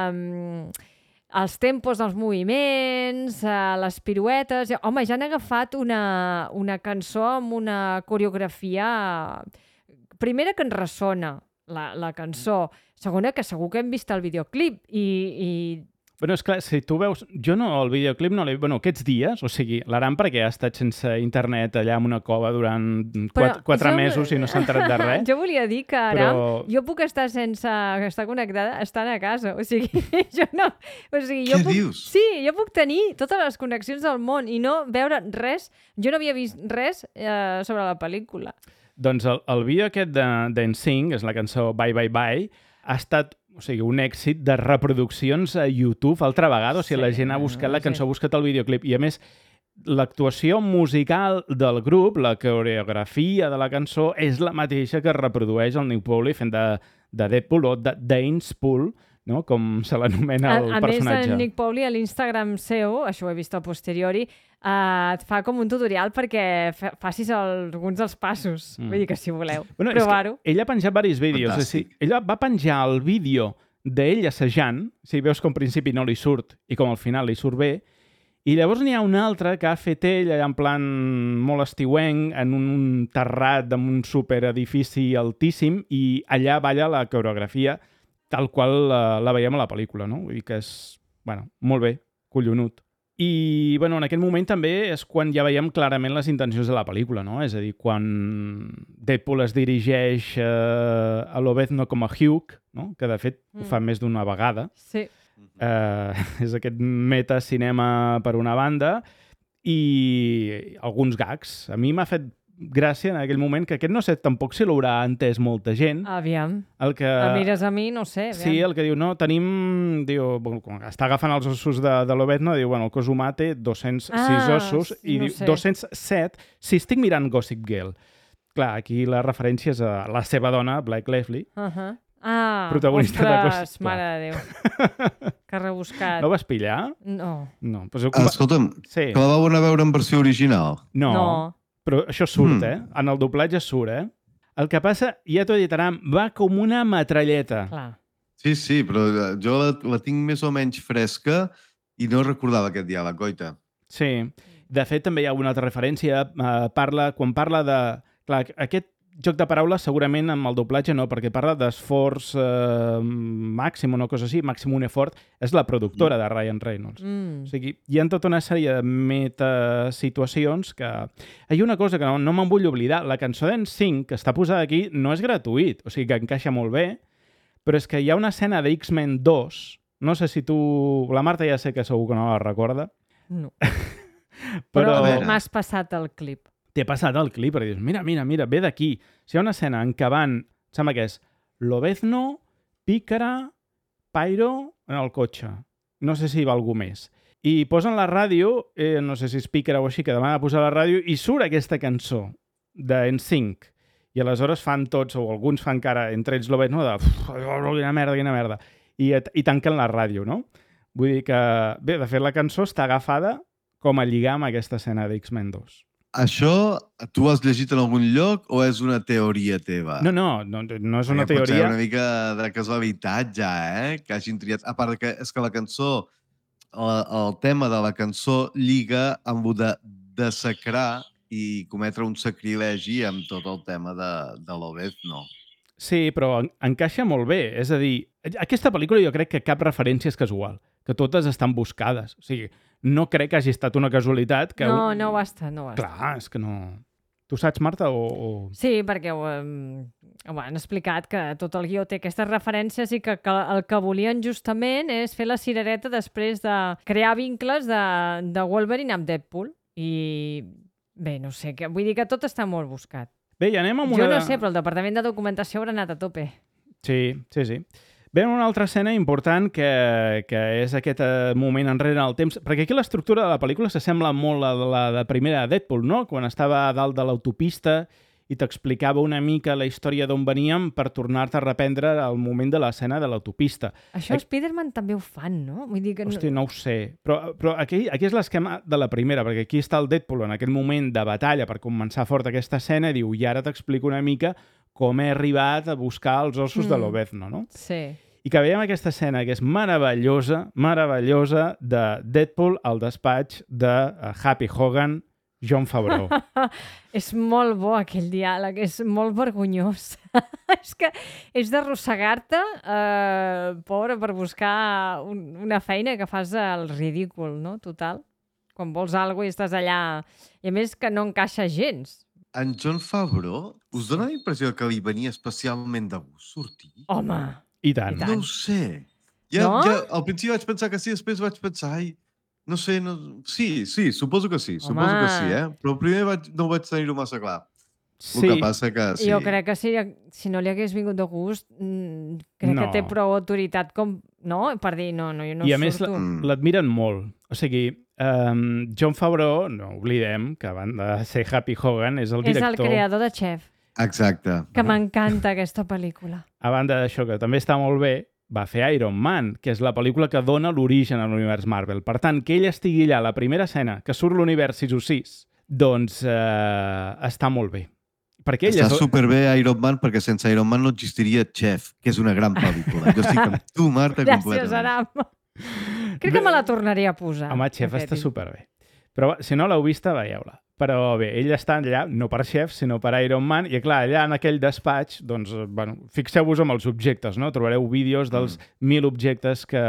Speaker 5: els tempos dels moviments, les piruetes... Home, ja han agafat una, una cançó amb una coreografia... Primera, que ens ressona la, la cançó. Segona, que segur que hem vist el videoclip i... i
Speaker 1: Bueno, és clar, si tu veus... Jo no, el videoclip no l'he... Bueno, aquests dies, o sigui, l'Aram perquè ha estat sense internet allà en una cova durant quatre, quatre jo... mesos i no s'ha enterat de res.
Speaker 5: Jo volia dir que, Aram,
Speaker 1: però...
Speaker 5: jo puc estar sense estar connectada estant a casa. O sigui, jo no... O sigui, jo
Speaker 6: Què
Speaker 5: puc...
Speaker 6: dius?
Speaker 5: Sí, jo puc tenir totes les connexions del món i no veure res. Jo no havia vist res eh, sobre la pel·lícula.
Speaker 1: Doncs el, el vídeo aquest d'N Sync, és la cançó Bye Bye Bye, ha estat... O sigui, un èxit de reproduccions a YouTube altra vegada. O sigui, sí, la gent ha buscat la cançó, sí. ha buscat el videoclip. I, a més, l'actuació musical del grup, la coreografia de la cançó, és la mateixa que reprodueix el Nick Powley fent de, de Deadpool o de Dainspool, no? Com se l'anomena el
Speaker 5: a, a
Speaker 1: personatge.
Speaker 5: A més, en Nick Pauli a l'Instagram seu, això ho he vist a posteriori, uh, et fa com un tutorial perquè fa, facis el, alguns dels passos. Mm. Vull dir que si voleu
Speaker 1: bueno,
Speaker 5: provar-ho.
Speaker 1: Ell ha penjat diversos vídeos. O sigui, ella va penjar el vídeo d'ell assajant, o sigui, veus com al principi no li surt i com al final li surt bé, i llavors n'hi ha un altre que ha fet ell allà en plan molt estiuenc, en un terrat amb un superedifici altíssim, i allà balla la coreografia tal qual la, la veiem a la pel·lícula, no? Vull dir que és, bueno, molt bé, collonut. I, bueno, en aquest moment també és quan ja veiem clarament les intencions de la pel·lícula, no? És a dir, quan Deadpool es dirigeix eh, a Lobezno com a Hugh, no? Que de fet mm. ho fa més d'una vegada.
Speaker 5: Sí.
Speaker 1: Eh, és aquest metacinema per una banda i alguns gags. A mi m'ha fet gràcia en aquell moment, que aquest no sé tampoc si l'haurà entès molta gent.
Speaker 5: Aviam.
Speaker 1: El que...
Speaker 5: A mires a mi, no sé. Aviam.
Speaker 1: Sí, el que diu, no, tenim... Diu, bueno, està agafant els ossos de, de l'Obezno, diu, bueno, el cos humà té dos-cents sis
Speaker 5: ah,
Speaker 1: ossos, i
Speaker 5: no
Speaker 1: diu,
Speaker 5: sé.
Speaker 1: dos-cents set si estic mirant Gossip Girl. Clar, aquí la referència és a la seva dona, Blake Lively,
Speaker 5: Uh -huh. Ah,
Speaker 1: protagonista de
Speaker 5: ostres,
Speaker 1: Gossip Girl.
Speaker 5: mare de Déu. Que rebuscat.
Speaker 1: No ho vas pillar?
Speaker 5: No.
Speaker 1: No. Pues ho...
Speaker 6: Escolta'm,
Speaker 1: sí.
Speaker 6: que la vau anar a veure en versió original.
Speaker 1: No.
Speaker 5: No.
Speaker 1: Però això surt,
Speaker 6: Mm.
Speaker 1: eh? En el doblatge surt, eh? El que passa, ja t'ho he dit, Aram, va com una metralleta.
Speaker 5: Clar.
Speaker 6: Sí, sí, però jo la, la tinc més o menys fresca i no recordava aquest diàleg, goita.
Speaker 1: Sí. De fet, també hi ha una altra referència. Eh, parla, quan parla de... Clar, aquest joc de paraules segurament amb el doblatge no, perquè parla d'esforç eh, màxim o una cosa així, màxim un effort, és la productora de Ryan Reynolds.
Speaker 5: Mm.
Speaker 1: O sigui, hi ha tota una sèrie de metasituacions que... Hi ha una cosa que no, no me'n vull oblidar. La cançó d'N Sync, que està posada aquí, no és gratuït, o sigui que encaixa molt bé, però és que hi ha una escena de X-Men dos, no sé si tu... La Marta ja sé que segur que no la recorda.
Speaker 5: No.
Speaker 1: Però,
Speaker 5: Però m'has passat el clip.
Speaker 1: T'he passat el clip perquè dius, mira, mira, mira, ve d'aquí. Si hi ha una escena en què van, sembla que és Lobezno, Pícara, Pyro en el cotxe. No sé si hi va algú més. I posen la ràdio, eh, no sé si és Pícara o així, que demana posar la ràdio, i surt aquesta cançó d'N Sync. I aleshores fan tots, o alguns fan cara, entre ells Lobezno, de quina merda, quina merda. I, i tanquen la ràdio, no? Vull dir que, bé, de fet la cançó està agafada com a lligar amb aquesta escena d'X-Men dos.
Speaker 6: Això tu ho has llegit en algun lloc o és una teoria teva?
Speaker 1: No, no, no, no és una
Speaker 6: Perquè
Speaker 1: teoria.
Speaker 6: Pot ser una mica de casualitat ja, eh? Que hagin triat... A part que és que la cançó, el, el tema de la cançó lliga amb el de desacrar i cometre un sacrilegi amb tot el tema de, de l'Obezno.
Speaker 1: Sí, però en, encaixa molt bé. És a dir, aquesta pel·lícula jo crec que cap referència és casual, que totes estan buscades. O sigui, no crec que hagi estat una casualitat que...
Speaker 5: No, no ho ha estat, no ho ha estat.
Speaker 1: Clar, és que no... Tu saps, Marta, o...? o...
Speaker 5: Sí, perquè ho, um, ho han explicat que tot el guió té aquestes referències i que, que el que volien justament és fer la cirereta després de crear vincles de, de Wolverine amb Deadpool. I bé, no sé, que, vull dir que tot està molt buscat.
Speaker 1: Bé, i anem amb
Speaker 5: Jo
Speaker 1: una...
Speaker 5: no sé, però el departament de documentació haurà anat a tope.
Speaker 1: Sí, sí, sí. Ve una altra escena important que, que és aquest eh, moment enrere en el temps, perquè aquí l'estructura de la pel·lícula s'assembla molt a la de primera de Deadpool, no? Quan estava a dalt de l'autopista i t'explicava una mica la història d'on veníem per tornar-te a reprendre al moment de l'escena de l'autopista.
Speaker 5: Això
Speaker 1: Aquí...
Speaker 5: Spider-Man també ho fan, no? Vull dir que no...
Speaker 1: Hòstia, no ho sé. Però, però aquí, aquí és l'esquema de la primera, perquè aquí està el Deadpool en aquell moment de batalla per començar fort aquesta escena i diu, i ara t'explico una mica com he arribat a buscar els ossos mm. de l'Obezno, no?
Speaker 5: Sí.
Speaker 1: I que veiem aquesta escena que és meravellosa, meravellosa, de Deadpool al despatx de Happy Hogan, Jon Favreau.
Speaker 5: És molt bo aquell diàleg, és molt vergonyós. És que és d'arrossegar-te, eh, pobre, per buscar un, una feina que fas al ridícul, no? Total. Quan vols alguna cosa i estàs allà... I a més que no encaixa gens.
Speaker 6: En Jon Favreau, us dona la impressió que li venia especialment de gust sortir?
Speaker 5: Home!
Speaker 1: I tant.
Speaker 5: I tant.
Speaker 6: No ho sé. Ja,
Speaker 5: No?
Speaker 6: ja, al principi vaig pensar que sí, després vaig pensar, ai, no sé, no... sí, sí, suposo que sí, suposo
Speaker 5: Home.
Speaker 6: que sí, eh? Però primer vaig, no vaig tenir-ho massa clar.
Speaker 1: Sí.
Speaker 6: El que passa que sí.
Speaker 5: Jo crec que si, si no li hagués vingut de gust, mm, crec
Speaker 1: No.
Speaker 5: que té prou autoritat com, no? Per dir, no, no, jo no
Speaker 1: I a més
Speaker 5: surto.
Speaker 1: la-
Speaker 6: Mm.
Speaker 1: l'admiren molt. O sigui, um, Jon Favreau, no oblidem que a banda de ser Happy Hogan, és el
Speaker 5: És
Speaker 1: director...
Speaker 5: el creador de Chef.
Speaker 6: Exacte.
Speaker 5: Que m'encanta aquesta pel·lícula.
Speaker 1: A banda d'això, que també està molt bé, va fer Iron Man, que és la pel·lícula que dona l'origen a l'univers Marvel. Per tant, que ell estigui allà a la primera escena, que surt l'univers sis o sis, doncs eh, està molt bé. Perquè ell
Speaker 6: Està
Speaker 1: és...
Speaker 6: superbé Iron Man, perquè sense Iron Man no existiria Chef, que és una gran pel·lícula. Jo estic amb tu, Marta,
Speaker 5: Gràcies,
Speaker 6: completament.
Speaker 5: Aram. Crec que me la tornaria a posar.
Speaker 1: Home, Chef
Speaker 5: aquest.
Speaker 1: està superbé. Però si no l'heu vista, veieu-la. Però bé, ell està allà, no per Chef, sinó per Iron Man, i clar, allà en aquell despatx, doncs, bueno, fixeu-vos amb els objectes, no? Trobareu vídeos dels mm. mil objectes que,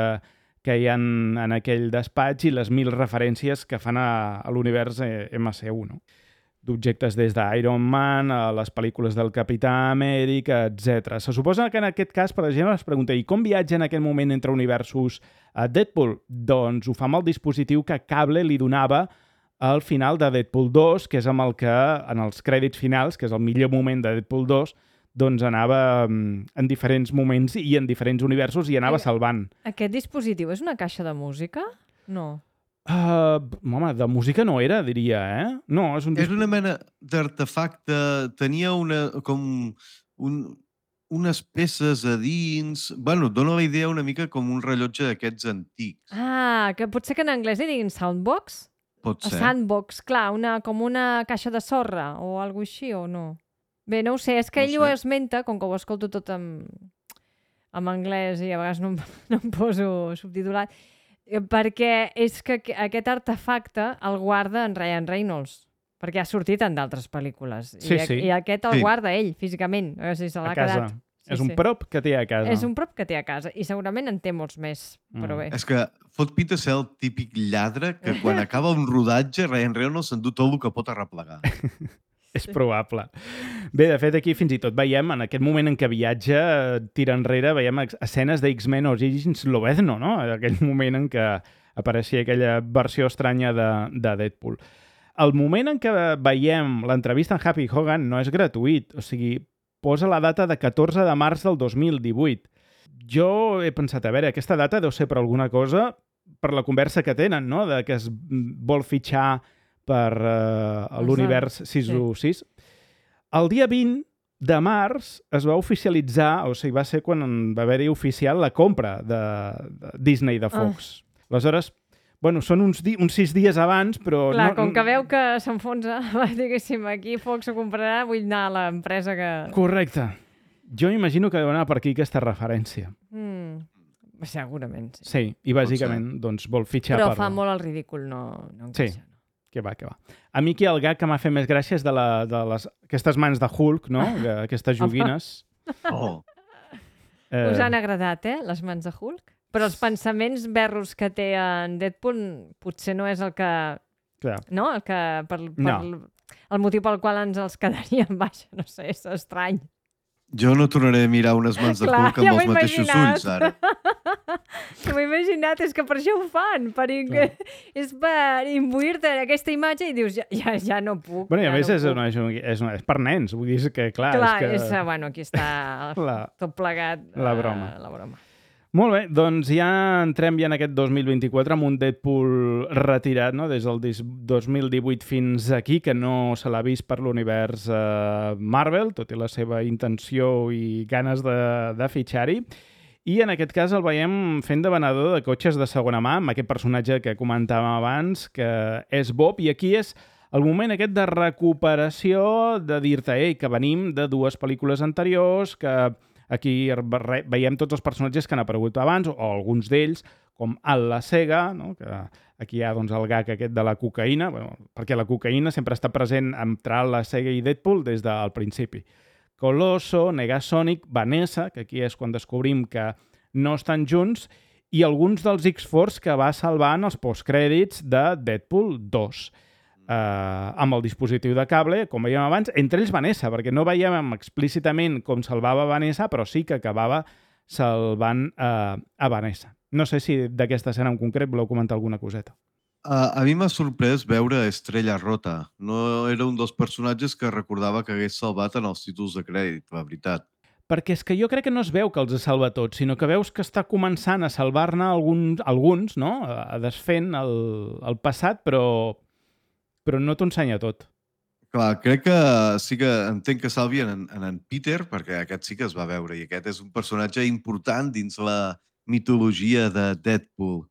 Speaker 1: que hi ha en aquell despatx i les mil referències que fan a, a l'univers M C U, no? D'objectes des d'Iron Man a les pel·lícules del Capità Amèrica, etcètera. Se suposa que en aquest cas, per exemple, es pregunta i com viatja en aquell moment entre universos a Deadpool? Doncs ho fa amb el dispositiu que Cable li donava al final de Deadpool dos, que és amb el que, en els crèdits finals, que és el millor moment de Deadpool dos, doncs anava en diferents moments i en diferents universos i anava salvant.
Speaker 5: Aquest dispositiu és una caixa de música? No.
Speaker 1: Uh, home, de música no era, diria, eh? No, és un...
Speaker 6: És una mena d'artefacte, tenia una, com un, unes peces a dins... Bueno, dona la idea una mica com un rellotge d'aquests antics.
Speaker 5: Ah, que pot ser que en anglès hi diguin soundbox?
Speaker 6: Pot ser.
Speaker 5: Sandbox, clar, una, com una caixa de sorra o alguna així, o no? Bé, no ho sé, és que
Speaker 6: No
Speaker 5: ell
Speaker 6: sé.
Speaker 5: ho esmenta, com que ho escolto tot en, en anglès i a vegades no, em- no em poso subtitulat, eh, perquè és que aqu- aquest artefacte el guarda en Ryan Reynolds, perquè ha sortit en d'altres pel·lícules.
Speaker 1: Sí,
Speaker 5: I, a-
Speaker 1: sí.
Speaker 5: I aquest el
Speaker 6: Sí.
Speaker 5: guarda ell, físicament. O sigui, se
Speaker 1: a
Speaker 5: l'ha
Speaker 1: casa.
Speaker 5: quedat. Sí,
Speaker 1: és un
Speaker 5: sí.
Speaker 1: prop que té a casa.
Speaker 5: És un prop que té a casa i segurament en té molts més, però
Speaker 1: Mm.
Speaker 5: bé.
Speaker 6: És que fot pinta ser el típic lladre que quan acaba un rodatge Ryan Reynolds s'endú tot el que pot arreplegar.
Speaker 1: És probable. Bé, de fet, aquí fins i tot veiem, en aquest moment en què viatja, tira enrere, veiem ex- escenes de X-Men Origins Lobezno, no? Aquell moment en què apareixia aquella versió estranya de, de Deadpool. El moment en què veiem l'entrevista en Happy Hogan no és gratuït, o sigui, posa la data de catorze de març del dos mil divuit. Jo he pensat, a veure, aquesta data deu ser per alguna cosa, per la conversa que tenen, no?, de que es vol fitxar per uh, l'univers sis o sis. El dia vint de març es va oficialitzar, o sigui, va ser quan va haver-hi oficial la compra de, de Disney de Fox. Ah. Aleshores, bueno, són uns, di uns sis dies abans, però...
Speaker 5: Clar,
Speaker 1: no,
Speaker 5: com que veu que s'enfonsa, diguéssim, aquí Fox ho comprarà, vull anar a l'empresa que...
Speaker 1: Correcte. Jo imagino que deu anar per aquí aquesta referència.
Speaker 5: Mm, segurament, sí.
Speaker 1: Sí, i bàsicament doncs, vol fitxar
Speaker 5: Però
Speaker 1: per...
Speaker 5: fa molt el ridícul, no, no encaixa.
Speaker 1: Sí. Que va, que va. A mi aquí el gag que m'ha fet més gràcia és de, la, de les, aquestes mans de Hulk, no? Que, aquestes joguines.
Speaker 6: Oh.
Speaker 1: Eh,
Speaker 5: Us han agradat, eh, les mans de Hulk? Però els pensaments berros que té en Deadpool potser no és el que...
Speaker 1: clar.
Speaker 5: No? El que... Per, per,
Speaker 1: No.
Speaker 5: El motiu pel qual ens els quedaríem, vaja, no sé, és estrany.
Speaker 6: Jo no tornaré a mirar unes mans de
Speaker 5: Clar,
Speaker 6: Hulk amb
Speaker 5: ja m'ho
Speaker 6: els
Speaker 5: he
Speaker 6: mateixos
Speaker 5: imaginat.
Speaker 6: ulls, ara.
Speaker 5: Que m'he imaginat, és que per això ho fan, per in... és per imbuir-te en aquesta imatge i dius, ja, ja, ja no puc.
Speaker 1: Bueno, i a
Speaker 5: ja
Speaker 1: més
Speaker 5: no
Speaker 1: és,
Speaker 5: puc.
Speaker 1: una, és, una, és, una, és per nens, vull dir que, clar,
Speaker 5: Clar,
Speaker 1: és que...
Speaker 5: és, eh, bueno, aquí està
Speaker 1: La-
Speaker 5: tot plegat.
Speaker 1: la
Speaker 5: eh,
Speaker 1: broma.
Speaker 5: La broma.
Speaker 1: Molt bé, doncs ja entrem ja en aquest dos mil vint-i-quatre amb un Deadpool retirat, no?, des del dos mil divuit fins aquí, que no se l'ha vist per l'univers eh, Marvel, tot i la seva intenció i ganes de, de fitxar-hi. I en aquest cas el veiem fent de venedor de cotxes de segona mà, amb aquest personatge que comentàvem abans, que és Bob, i aquí és el moment aquest de recuperació, de dir-te, ei, que venim de dues pel·lícules anteriors, que aquí veiem tots els personatges que han aparegut abans, o alguns d'ells, com Al la Sega, no? Que aquí hi ha doncs, el gag aquest de la cocaïna, bueno, perquè la cocaïna sempre està present entre Al la Sega i Deadpool des del principi. Colosso, Negasonic, Vanessa, que aquí és quan descobrim que no estan junts, i alguns dels X-Force que va salvar en els postcrèdits de Deadpool dos. Uh, amb el dispositiu de cable, com veiem abans, entre ells Vanessa, perquè no veiem explícitament com salvava Vanessa, però sí que acabava salvant uh, a Vanessa. No sé si d'aquesta escena en concret voleu comentar alguna coseta.
Speaker 6: Uh, a mi m'ha sorprès veure Estrella Rota. No era un dels personatges que recordava que hagués salvat en els títols de crèdit, la veritat.
Speaker 1: Perquè és que jo crec que no es veu que els salva tots, sinó que veus que està començant a salvar-ne alguns, alguns, no?, a desfent el, el passat, però, però no t'ho ensenya tot.
Speaker 6: Clar, crec que sí que entenc que salvien en, en en Peter, perquè aquest sí que es va veure, i aquest és un personatge important dins la mitologia de Deadpool,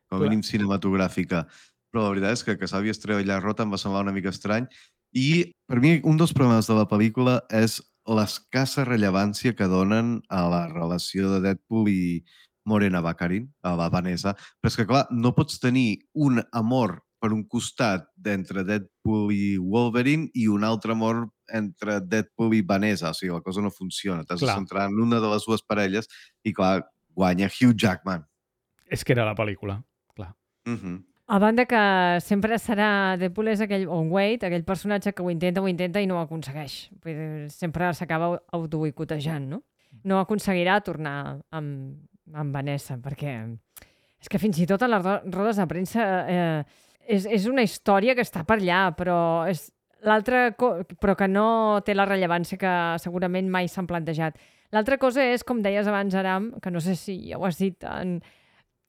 Speaker 6: com a
Speaker 1: Clar.
Speaker 6: mínim cinematogràfica. Però la veritat és que que Salvi Estrella Rota em va semblar una mica estrany. I per mi un dels problemes de la pel·lícula és l'escassa rellevància que donen a la relació de Deadpool i Morena Baccarin, a la Vanessa. Però és que, clar, no pots tenir un amor per un costat d'entre Deadpool i Wolverine i un altre amor entre Deadpool i Vanessa. O sigui, la cosa no funciona. T'has de
Speaker 1: Clar.
Speaker 6: centrar en una de les dues parelles i, clar, guanya Hugh Jackman.
Speaker 1: És que era la pel·lícula, clar.
Speaker 6: Mhm.
Speaker 5: A banda que sempre serà Deadpool és aquell, o Wade, aquell personatge que ho intenta, ho intenta i no ho aconsegueix. Vull dir, sempre s'acaba autoboicotejant, no? No aconseguirà tornar amb, amb Vanessa, perquè és que fins i tot a les ro- rodes de premsa eh, és, és una història que està per allà, però és l'altra co- però que no té la rellevància que segurament mai s'han plantejat. L'altra cosa és, com deies abans, Aram, que no sé si ja ho has dit en,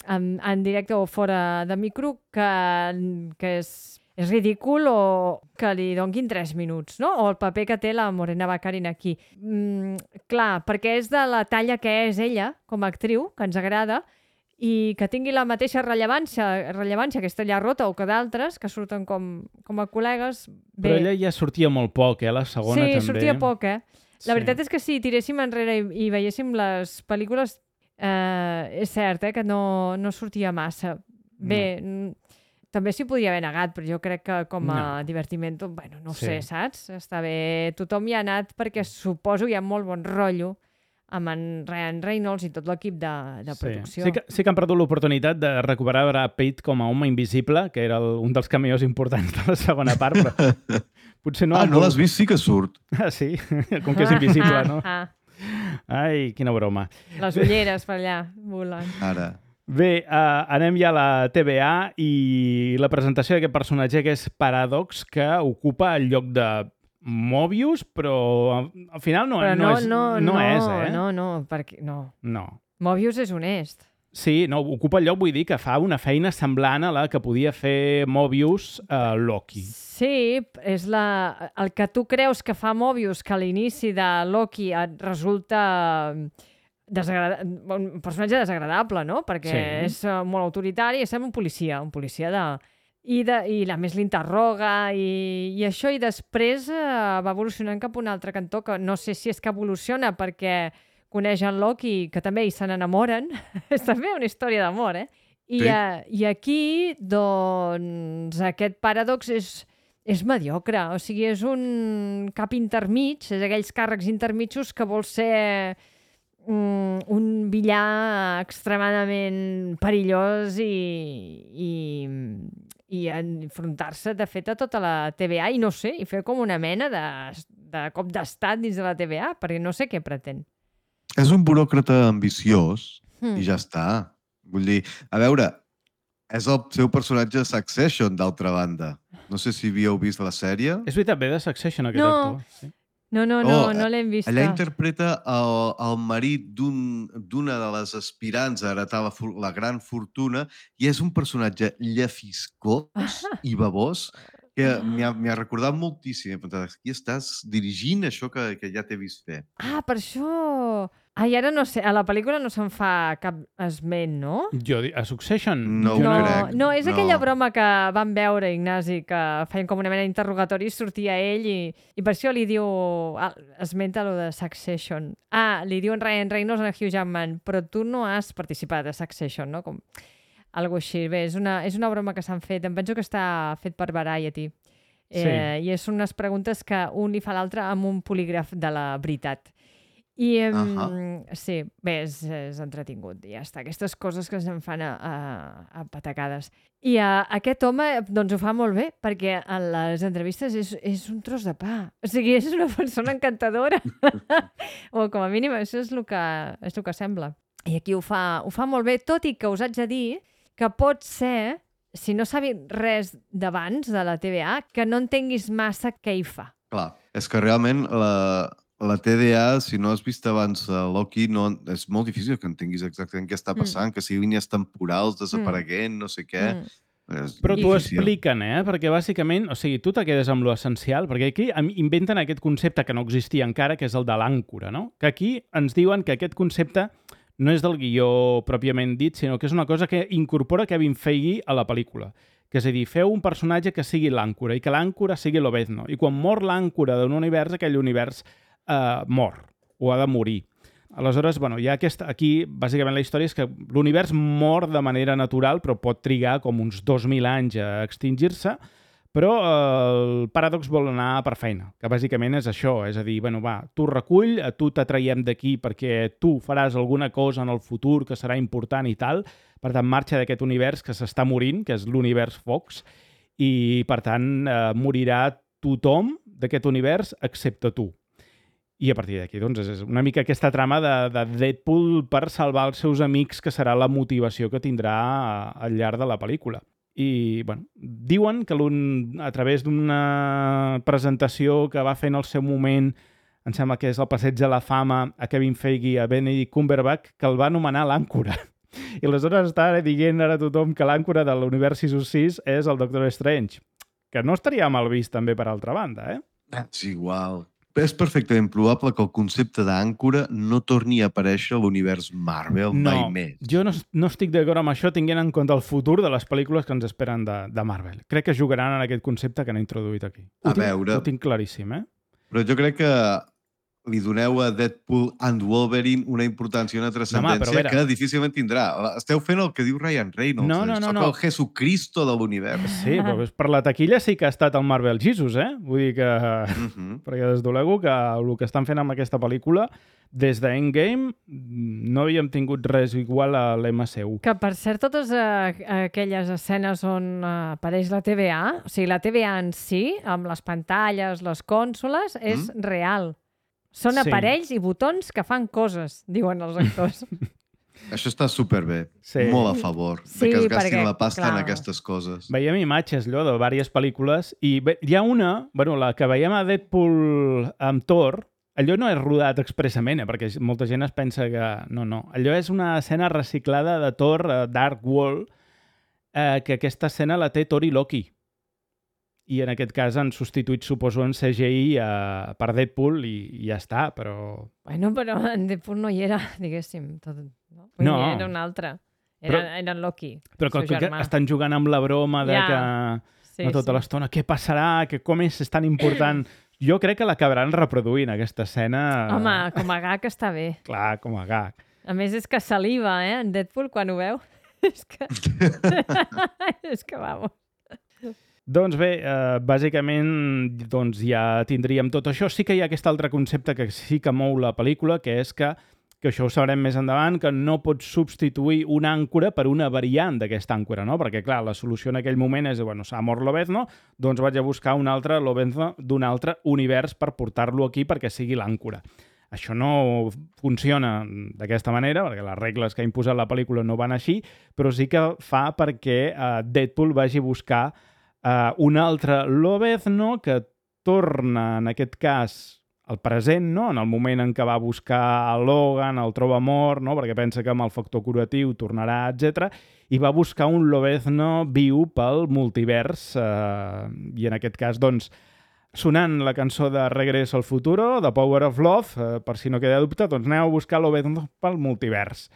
Speaker 5: en, en directe o fora de micro, que, que és, és ridícul o que li donguin tres minuts, no? O el paper que té la Morena Baccarin aquí. Mm, clar, perquè és de la talla que és ella, com a actriu, que ens agrada, i que tingui la mateixa rellevància, rellevància que Estrella Rota o que d'altres, que surten com, com a col·legues. Bé,
Speaker 1: Però ella ja sortia molt poc, eh? La segona
Speaker 5: sí,
Speaker 1: també.
Speaker 5: sortia poc, eh? La
Speaker 1: Sí.
Speaker 5: veritat és que si tiréssim enrere i, i veiéssim les pel·lícules, eh, és cert, eh, que no, no sortia massa. Bé, no. També s'hi podia haver negat, però jo crec que com a
Speaker 1: No.
Speaker 5: divertiment, bueno, no ho
Speaker 1: Sí.
Speaker 5: sé, saps? Està bé, tothom hi ha anat perquè suposo hi ha molt bon rotllo amb en Ryan Reynolds i tot l'equip de, de producció.
Speaker 1: Sí. Sí, que, sí que han perdut l'oportunitat de recuperar Brad Pitt com a home invisible, que era el, un dels cameos importants de la segona part, però potser no...
Speaker 6: Ah,
Speaker 1: han
Speaker 6: no
Speaker 1: volgut-
Speaker 6: l'has vist? Sí que surt.
Speaker 1: Ah, sí? Com que és invisible, no?
Speaker 5: Ah,
Speaker 1: Ai, quina broma.
Speaker 5: les ulleres per allà volen.
Speaker 6: Ara.
Speaker 1: Bé, uh, anem ja a la T V A i la presentació d'aquest personatge que és Paradox, que ocupa el lloc de Mobius, però al, al final no,
Speaker 5: Però
Speaker 1: no,
Speaker 5: no,
Speaker 1: és,
Speaker 5: no,
Speaker 1: no,
Speaker 5: no,
Speaker 1: és, eh?
Speaker 5: no, no, perquè, no.
Speaker 1: No.
Speaker 5: Mobius és honest.
Speaker 1: Sí, no, ocupa el lloc, vull dir que fa una feina semblant a la que podia fer Mobius a Loki.
Speaker 5: Sí, és la, el que tu creus que fa Mobius, que a l'inici de Loki et resulta desagrada... un personatge desagradable, no? Perquè
Speaker 1: Sí.
Speaker 5: és eh, molt autoritari, és un policia, un policia de... I, de, i a més l'interroga i, i això, i després eh, va evolucionant cap a un altre cantó, que no sé si és que evoluciona perquè coneix en Loki, que també hi se n'enamoren. És també una història d'amor, eh? I,
Speaker 6: Sí.
Speaker 5: uh, I aquí, doncs, aquest Paradox és, és mediocre. O sigui, és un cap intermig, és aquells càrrecs intermitjos que vol ser um, un villà extremadament perillós i, i, i enfrontar-se, de fet, a tota la T V A i no sé, i fer com una mena de, de cop d'estat dins de la T V A, perquè no sé què pretén.
Speaker 6: És un buròcrata ambiciós
Speaker 5: Hmm.
Speaker 6: i ja està. Vull dir, a veure, és el seu personatge Succession, d'altra banda. No sé si havíeu vist la sèrie.
Speaker 1: És veritat, ve de Succession, aquest
Speaker 5: No.
Speaker 1: actor. Sí.
Speaker 5: No, no, no,
Speaker 6: Oh,
Speaker 5: no l'hem vist.
Speaker 6: Allà interpreta el, el marit d'un- d'una de les aspirants a heretar la, for- la gran fortuna i és un personatge llefiscós i babós que m'hi ha, m'hi ha recordat moltíssim. He pensat, aquí estàs dirigint això que, que ja t'he vist fer.
Speaker 5: Ah, per això... Ai, ara no sé, a la pel·lícula no se'n fa cap esment, no?
Speaker 1: Jo, di- a Succession?
Speaker 6: No
Speaker 1: jo
Speaker 6: ho
Speaker 5: no,
Speaker 6: crec.
Speaker 5: no, és
Speaker 6: no.
Speaker 5: aquella broma que vam veure, Ignasi, que feien com una mena d'interrogatori, sortia ell i, i per això li diu... Ah, esmenta lo de Succession. Ah, li diuen Ryan Reynolds a Hugh Jackman, però tu no has participat a Succession, no? Com algo així. Bé, és una, és una broma que s'han fet. Em penso que està fet per Variety. Eh,
Speaker 1: Sí.
Speaker 5: I és unes preguntes que un li fa a l'altre amb un polígraf de la veritat. I, um,
Speaker 6: Ahà.
Speaker 5: sí, bé, és, és entretingut, ja està. Aquestes coses que se'n fan a, a, a patacades. I a, aquest home, doncs ho fa molt bé, perquè en les entrevistes és, és un tros de pa. O sigui, és una persona encantadora. O com a mínim això és el que, és el que sembla. I aquí ho fa, ho fa molt bé, tot i que us haig de dir que pot ser, si no sabis res d'abans de la T V A, que no entenguis massa què hi fa.
Speaker 6: Clar, és que realment la, la T D A, si no has vist abans uh, Loki, no, és molt difícil que entenguis exactament què està passant, mm. que si línies temporals desapareguent, no sé què.
Speaker 5: Mm.
Speaker 6: És
Speaker 1: Però t'ho
Speaker 6: difícil.
Speaker 1: expliquen, eh? Perquè bàsicament, o sigui, tu te quedes amb lo essencial, perquè aquí inventen aquest concepte que no existia encara, que és el de l'àncora, no? Que aquí ens diuen que aquest concepte no és del guió pròpiament dit, sinó que és una cosa que incorpora Kevin Feige a la pel·lícula. Que és a dir, feu un personatge que sigui l'àncora i que l'àncora sigui l'Obezno. I quan mor l'àncora d'un univers, aquell univers eh, mor o ha de morir. Aleshores, bueno, hi ha aquesta, aquí, bàsicament, la història és que l'univers mor de manera natural, però pot trigar com uns dos mil anys a extingir-se, però eh, el Paradox vol anar per feina, que bàsicament és això, és a dir, bueno, va, tu recull, a tu t'atraiem d'aquí perquè tu faràs alguna cosa en el futur que serà important i tal, per tant, marxa d'aquest univers que s'està morint, que és l'univers Fox, i, per tant, eh, morirà tothom d'aquest univers excepte tu. I a partir d'aquí, doncs, és una mica aquesta trama de, de Deadpool per salvar els seus amics, que serà la motivació que tindrà al llarg de la pel·lícula. I, bueno, diuen que a través d'una presentació que va fer en el seu moment, em sembla que és el Passeig de la Fama, a Kevin Feige i a Benedict Cumberbatch, que el va anomenar l'àncora. I aleshores està dient ara a tothom que l'àncora de l'univers sis cents sis és el Doctor Strange, que no estaria mal vist també per altra banda, eh?
Speaker 6: És igual. És perfectament probable que el concepte d'àncora no torni a aparèixer a l'univers Marvel
Speaker 1: no,
Speaker 6: mai més.
Speaker 1: Jo no, no estic d'acord amb això tinguent en compte el futur de les pel·lícules que ens esperen de, de Marvel. Crec que jugaran en aquest concepte que han introduït aquí. Ho
Speaker 6: A
Speaker 1: tinc,
Speaker 6: veure...
Speaker 1: Ho tinc claríssim, eh?
Speaker 6: Però jo crec que li doneu a Deadpool and Wolverine una importància i una transcendència
Speaker 1: veure...
Speaker 6: que difícilment tindrà. Esteu fent el que diu Ryan Reynolds.
Speaker 1: No, no, no. no.
Speaker 6: el Jesucristo de l'univers.
Speaker 1: Sí, però per la taquilla sí que ha estat el Marvel Jesus, eh? Vull dir que... Uh -huh. Perquè desdolego que el que estan fent amb aquesta pel·lícula, des d'Endgame, no havíem tingut res igual a l'M C U.
Speaker 5: Que, per cert, totes uh, aquelles escenes on uh, apareix la T V A, o sigui, la T V A en si, amb les pantalles, les cònsoles, és mm. real. Són
Speaker 1: Sí.
Speaker 5: aparells i botons que fan coses, diuen els actors.
Speaker 6: Això està superbé.
Speaker 1: Sí.
Speaker 6: Molt a favor
Speaker 5: Sí,
Speaker 6: de que es gastin
Speaker 5: perquè,
Speaker 6: la pasta
Speaker 5: clar.
Speaker 6: en aquestes coses.
Speaker 1: Veiem imatges, allò, de diverses pel·lícules, i bé, hi ha una, bueno, la que veiem a Deadpool amb Thor, allò no és rodat expressament, eh, perquè molta gent es pensa que... No, no. Allò és una escena reciclada de Thor, uh, Dark World, eh, que aquesta escena la té Thor i Loki. I en aquest cas han substituït, suposo, en C G I uh, per Deadpool i, i ja està, però...
Speaker 5: Bueno, però en Deadpool no hi era, diguéssim. Tot, no? Vull
Speaker 1: No.
Speaker 5: dir, era un altre. Era,
Speaker 1: Però-
Speaker 5: era en Loki,
Speaker 1: Però
Speaker 5: el seu
Speaker 1: que, que
Speaker 5: germà.
Speaker 1: estan jugant amb la broma de
Speaker 5: Ja.
Speaker 1: que...
Speaker 5: Sí,
Speaker 1: no tota
Speaker 5: sí.
Speaker 1: l'estona, què passarà, que com és, és tan important... Jo crec que l'acabaran reproduint, aquesta escena.
Speaker 5: Home, com a gag està bé.
Speaker 1: Clar, com a gag.
Speaker 5: A més, és que saliva, eh, en Deadpool, quan ho veu. és que... és que, vamos.
Speaker 1: Doncs bé, eh, bàsicament doncs ja tindríem tot això. Sí que hi ha aquest altre concepte que sí que mou la pel·lícula, que és que, que això ho sabrem més endavant, que no pots substituir una àncora per una variant d'aquesta àncora, no? Perquè, clar, la solució en aquell moment és, bueno, s'ha mort l'Obezno, doncs vaig a buscar un altre l'Obezno d'un altre univers per portar-lo aquí perquè sigui l'àncora. Això no funciona d'aquesta manera, perquè les regles que ha imposat la pel·lícula no van així, però sí que fa perquè eh, Deadpool vagi a buscar Uh, un altre l'Obezno que torna, en aquest cas, al present, no? En el moment en què va buscar a Logan, el troba mort, no? Perquè pensa que amb el factor curatiu tornarà, etcètera, i va buscar un l'Obezno viu pel multivers, uh, i en aquest cas, doncs, sonant la cançó de Regreso al Futuro, The Power of Love, uh, per si no queda dubte, doncs aneu a buscar l'Obezno pel multivers.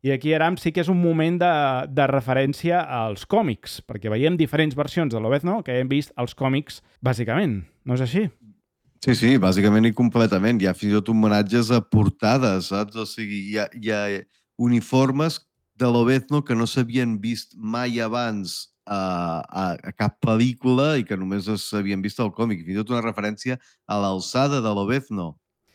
Speaker 1: I aquí, Aram, sí que és un moment de, de referència als còmics, perquè veiem diferents versions de l'Obezno que hem vist als còmics, bàsicament. No és així?
Speaker 6: Sí, sí, bàsicament i completament. Hi ha fins i tot homenatges a portades, saps? O sigui, hi ha, hi ha uniformes de l'Obezno que no s'havien vist mai abans a, a, a cap pel·lícula i que només s'havien vist al còmic. Fins i tot una referència a l'alçada de l'Obezno,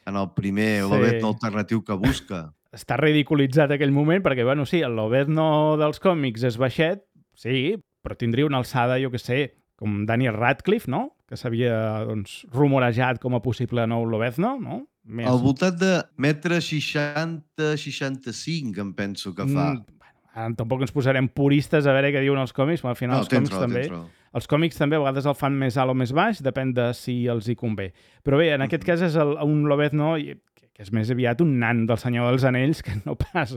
Speaker 6: en el primer
Speaker 1: Sí.
Speaker 6: l'Obezno alternatiu que busca.
Speaker 1: Està ridiculitzat aquell moment perquè, bueno, sí, l'Obezno dels còmics és baixet, sí, però tindria una alçada, jo que sé, com Daniel Radcliffe, no? Que s'havia, doncs, rumorejat com a possible nou l'Obezno, no? Més...
Speaker 6: Al voltant de metre seixanta seixanta-cinc, em penso que fa.
Speaker 1: Mm, bueno, ara tampoc ens posarem puristes a veure què diuen els còmics, però al final
Speaker 6: No,
Speaker 1: els còmics
Speaker 6: raó,
Speaker 1: també...
Speaker 6: raó.
Speaker 1: Els còmics també a vegades el fan més alt o més baix, depèn de si els hi convé. Però bé, en aquest cas és el, un l'Obezno que és més aviat un nan del Senyor dels Anells que no pas...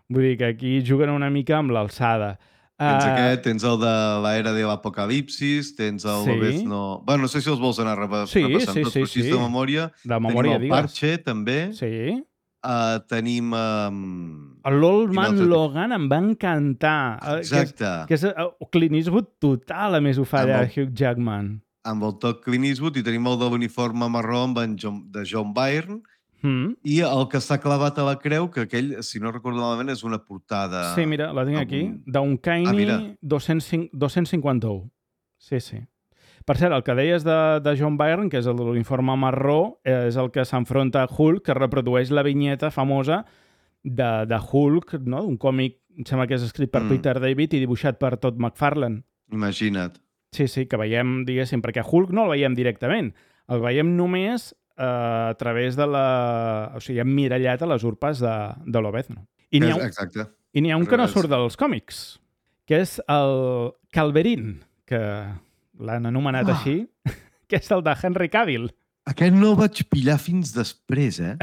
Speaker 1: Vull dir que aquí juguen una mica amb l'alçada.
Speaker 6: Tens
Speaker 1: Uh,
Speaker 6: aquest, tens el de l'era de l'apocalipsis, tens el
Speaker 1: Sí.
Speaker 6: Lobezno... Bueno, no sé si els vols anar repa-
Speaker 1: Sí,
Speaker 6: repassant
Speaker 1: sí,
Speaker 6: tots,
Speaker 1: sí,
Speaker 6: però així
Speaker 1: sí.
Speaker 6: de memòria.
Speaker 1: De memòria,
Speaker 6: tenim el
Speaker 1: digues.
Speaker 6: Parche, també.
Speaker 1: Sí.
Speaker 6: Uh, tenim... Um...
Speaker 1: L'Old
Speaker 6: quin
Speaker 1: Man
Speaker 6: altre?
Speaker 1: Logan em va encantar. eh,
Speaker 6: Exacte.
Speaker 1: Que és, que és uh, Clint Eastwood total, a més ho fa
Speaker 6: Amb
Speaker 1: allà
Speaker 6: el-
Speaker 1: Hugh Jackman.
Speaker 6: Amb el toc Clint Eastwood, i tenim el de l'uniforme marró amb en John, de John Byrne,
Speaker 1: Mm.
Speaker 6: i el que està clavat a la creu, que aquell, si no recordo malament, és una portada...
Speaker 1: Sí, mira, la tinc
Speaker 6: amb
Speaker 1: aquí.
Speaker 6: un-
Speaker 1: D'un
Speaker 6: Ah, mira.
Speaker 1: Caney dos-cents cinquanta-u. Sí, sí. Per cert, el que deies de, de John Byrne, que és el de l'uniforme marró, eh, és el que s'enfronta a Hulk, que reprodueix la vinyeta famosa de, de Hulk, no? Un còmic, em sembla que és escrit per
Speaker 6: Mm.
Speaker 1: Peter David i dibuixat per Todd McFarlane.
Speaker 6: Imagina't.
Speaker 1: Sí, sí, que veiem, diguéssim, perquè Hulk no el veiem directament. El veiem només eh, a través de la... O sigui, emmirallat a les urpes de, de l'Obezno. I n'hi ha, un-
Speaker 6: Exacte.
Speaker 1: I n'hi ha un que no
Speaker 6: Revés.
Speaker 1: surt dels còmics, que és el Calverin, que l'han anomenat
Speaker 6: Ah.
Speaker 1: així, que és el de Henry Cavill.
Speaker 6: Aquest no el vaig pillar fins després, eh?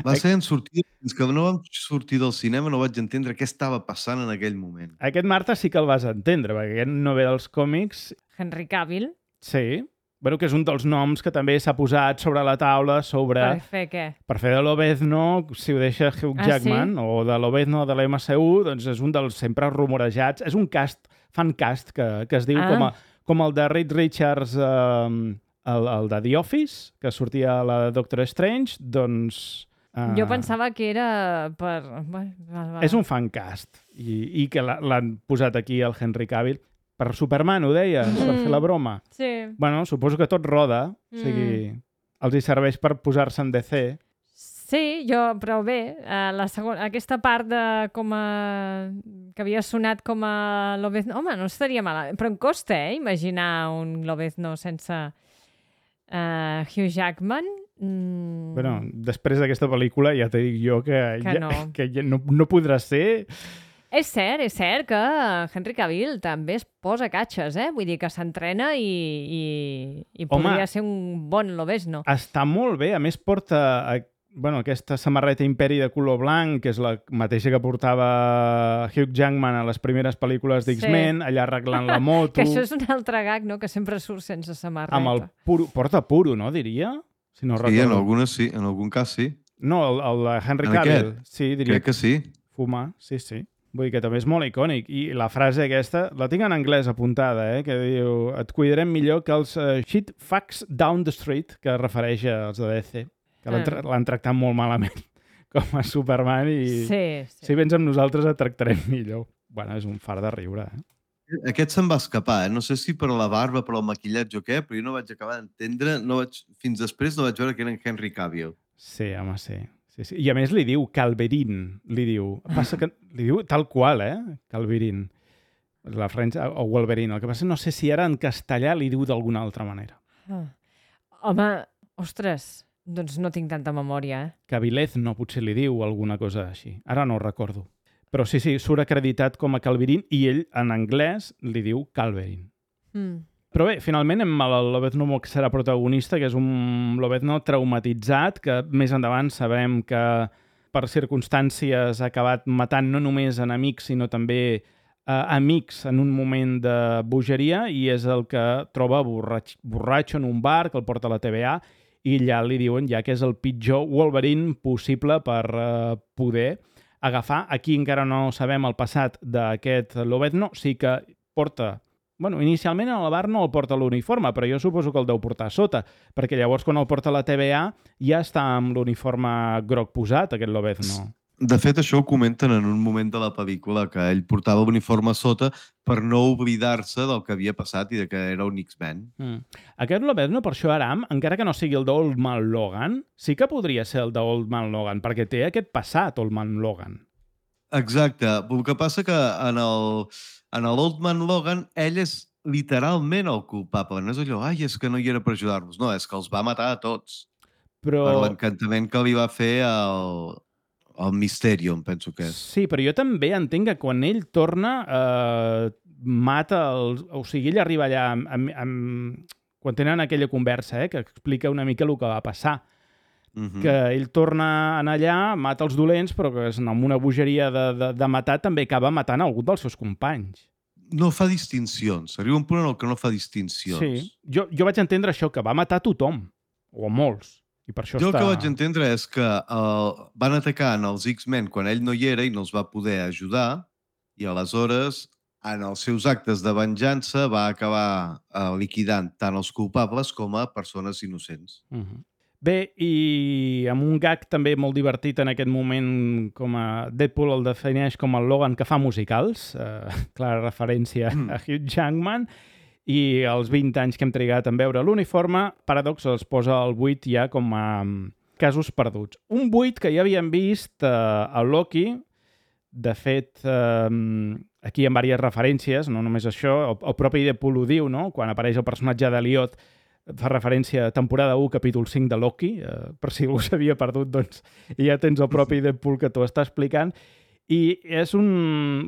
Speaker 6: Va ser en sortir... Fins que no vam sortir del cinema no vaig entendre què estava passant en aquell moment.
Speaker 1: Aquest, Marta, sí que el vas entendre, perquè aquest no ve dels còmics.
Speaker 5: Henry Cavill.
Speaker 1: Sí, bueno, que és un dels noms que també s'ha posat sobre la taula sobre...
Speaker 5: Per fer què?
Speaker 1: Per fer de l'Obezno, si ho deixa Hugh
Speaker 5: Ah,
Speaker 1: Jackman, o de l'Obezno de l'M C U, doncs és un dels sempre rumorejats. És un cast, fan cast, que, que es diu
Speaker 5: Ah.
Speaker 1: com, a, com el de Reed Richards, eh, el, el de The Office, que sortia a la Doctor Strange, doncs... eh,
Speaker 5: Jo pensava que era per... Bueno, va, va.
Speaker 1: És un fan cast, i, i que l'ha- l'han posat aquí el Henry Cavill. Per Superman, ho deies, per
Speaker 5: Mm.
Speaker 1: fer la broma.
Speaker 5: Sí.
Speaker 1: Bueno, suposo que tot roda, o sigui,
Speaker 5: Mm.
Speaker 1: els hi serveix per posar-se en D C.
Speaker 5: Sí, jo, però bé, eh, la segona, aquesta part de com a... que havia sonat com a Lobezno... Home, no estaria malament, però em costa, eh, imaginar un Lobezno sense eh, Hugh Jackman. Mm,
Speaker 1: Bueno, després d'aquesta pel·lícula ja t'he dit jo que,
Speaker 5: Que
Speaker 1: ja,
Speaker 5: no.
Speaker 1: que ja no, no podrà ser...
Speaker 5: És cert, és cert que Henry Cavill també es posa catxes, eh? Vull dir que s'entrena i, i, i
Speaker 1: Home.
Speaker 5: podria ser un bon Lobezno.
Speaker 1: Està molt bé, a més porta a, bueno, aquesta samarreta Imperi de color blanc, que és la mateixa que portava Hugh Jackman a les primeres pel·lícules d'X-Men, allà arreglant la moto,
Speaker 5: Que això és un altre gag, no?, que sempre surt sense samarreta.
Speaker 1: amb el puro, porta puro, no, diria? Si no
Speaker 6: Sí, en,
Speaker 1: recordo.
Speaker 6: algunes sí, en algun cas sí.
Speaker 1: No, el, el de Henry
Speaker 6: En
Speaker 1: Cavill.
Speaker 6: aquest?
Speaker 1: Sí, diria
Speaker 6: Crec que sí.
Speaker 1: fumar, sí, sí. Vull dir que també és molt icònic. I la frase aquesta, la tinc en anglès apuntada, eh? Que diu, et cuidarem millor que els uh, shit fucks down the street, que es refereix als de D C, que l'han tra- l'han tractat molt malament com a Superman i
Speaker 5: Sí, sí.
Speaker 1: si vens amb nosaltres et tractarem millor. Bueno, és un far de riure, eh?
Speaker 6: Aquest se'n va escapar, eh? No sé si per la barba, per el maquillatge o què, però jo no vaig acabar d'entendre, no vaig... fins després no vaig veure que era en Henry Cavill.
Speaker 1: Sí, home, sí. Sí, sí. I a més li diu Calverin, li diu. Passa que li diu tal qual, eh? Calverin. La French, o Wolverine. El que passa no sé si ara en castellà li diu d'alguna altra manera.
Speaker 5: Ah. Home, ostres, doncs no tinc tanta memòria, eh?
Speaker 1: Cavilez no, potser li diu alguna cosa així. Ara no ho recordo. Però sí, sí, surt acreditat com a Calverin i ell en anglès li diu Calverin.
Speaker 5: Mm.
Speaker 1: Però bé, finalment hem el Lobezno que serà protagonista, que és un Lobezno traumatitzat, que més endavant sabem que per circumstàncies ha acabat matant no només enemics, sinó també eh, amics en un moment de bogeria, i és el que troba borratx, borratxo en un bar, que el porta a la T V A, i ja li diuen ja que és el pitjor Wolverine possible per eh, poder agafar. Aquí encara no sabem el passat d'aquest Lobezno, sí que porta... Bueno, inicialment al bar no el porta l'uniforme, però jo suposo que el deu portar a sota, perquè llavors quan el porta a la T V A ja està amb l'uniforme groc posat, aquest Lobezno.
Speaker 6: De fet, això ho comenten en un moment de la pel·lícula, que ell portava l'uniforme a sota per no oblidar-se del que havia passat i de que era un X-Men.
Speaker 1: Mm. Aquest Lobezno, per això Aram, encara que no sigui el d'Old Man Logan, sí que podria ser el d'Old Man Logan, perquè té aquest passat, Old Man Logan.
Speaker 6: Exacte. El que passa que en el, en l'Old Man Logan ell és literalment el culpable. No és allò, ai, és que no hi era per ajudar-nos. No, és que els va matar a tots.
Speaker 1: Però...
Speaker 6: Per l'encantament que li va fer el, el Mysterium, penso que és.
Speaker 1: Sí, però jo també entenc que quan ell torna, eh, mata els... O sigui, ell arriba allà amb, amb, amb... quan tenen aquella conversa, eh, que explica una mica el que va passar. Mm-hmm. Que ell torna a anar allà, mata els dolents, però que amb una bogeria de, de, de matar també acaba matant algun dels seus companys.
Speaker 6: No fa distincions. Arriba un punt en el que no fa distincions.
Speaker 1: Sí. Jo, jo vaig entendre això, que va matar tothom, o a molts. I per això
Speaker 6: jo
Speaker 1: està...
Speaker 6: el que vaig entendre és que uh, van atacar en els X-Men quan ell no hi era i no els va poder ajudar, i aleshores, en els seus actes de venjança, va acabar uh, liquidant tant els culpables com a persones innocents.
Speaker 1: Uh-huh. Bé, i amb un gag també molt divertit en aquest moment, com a Deadpool el defineix com el Logan que fa musicals, eh, clara referència mm. a Hugh Jackman, i els vint anys que hem trigat en veure l'uniforme, Paradox els posa al vuit ja com a casos perduts. Un vuit que ja havíem vist eh, a Loki, de fet, eh, aquí hi ha diverses referències, no només això, el, el propi Deadpool ho diu, no? Quan apareix el personatge d'Eliot, fa referència a temporada u, capítol cinc de Loki, eh, per si algú s'havia perdut, doncs ja tens el propi Deadpool que t'ho està explicant, i és un...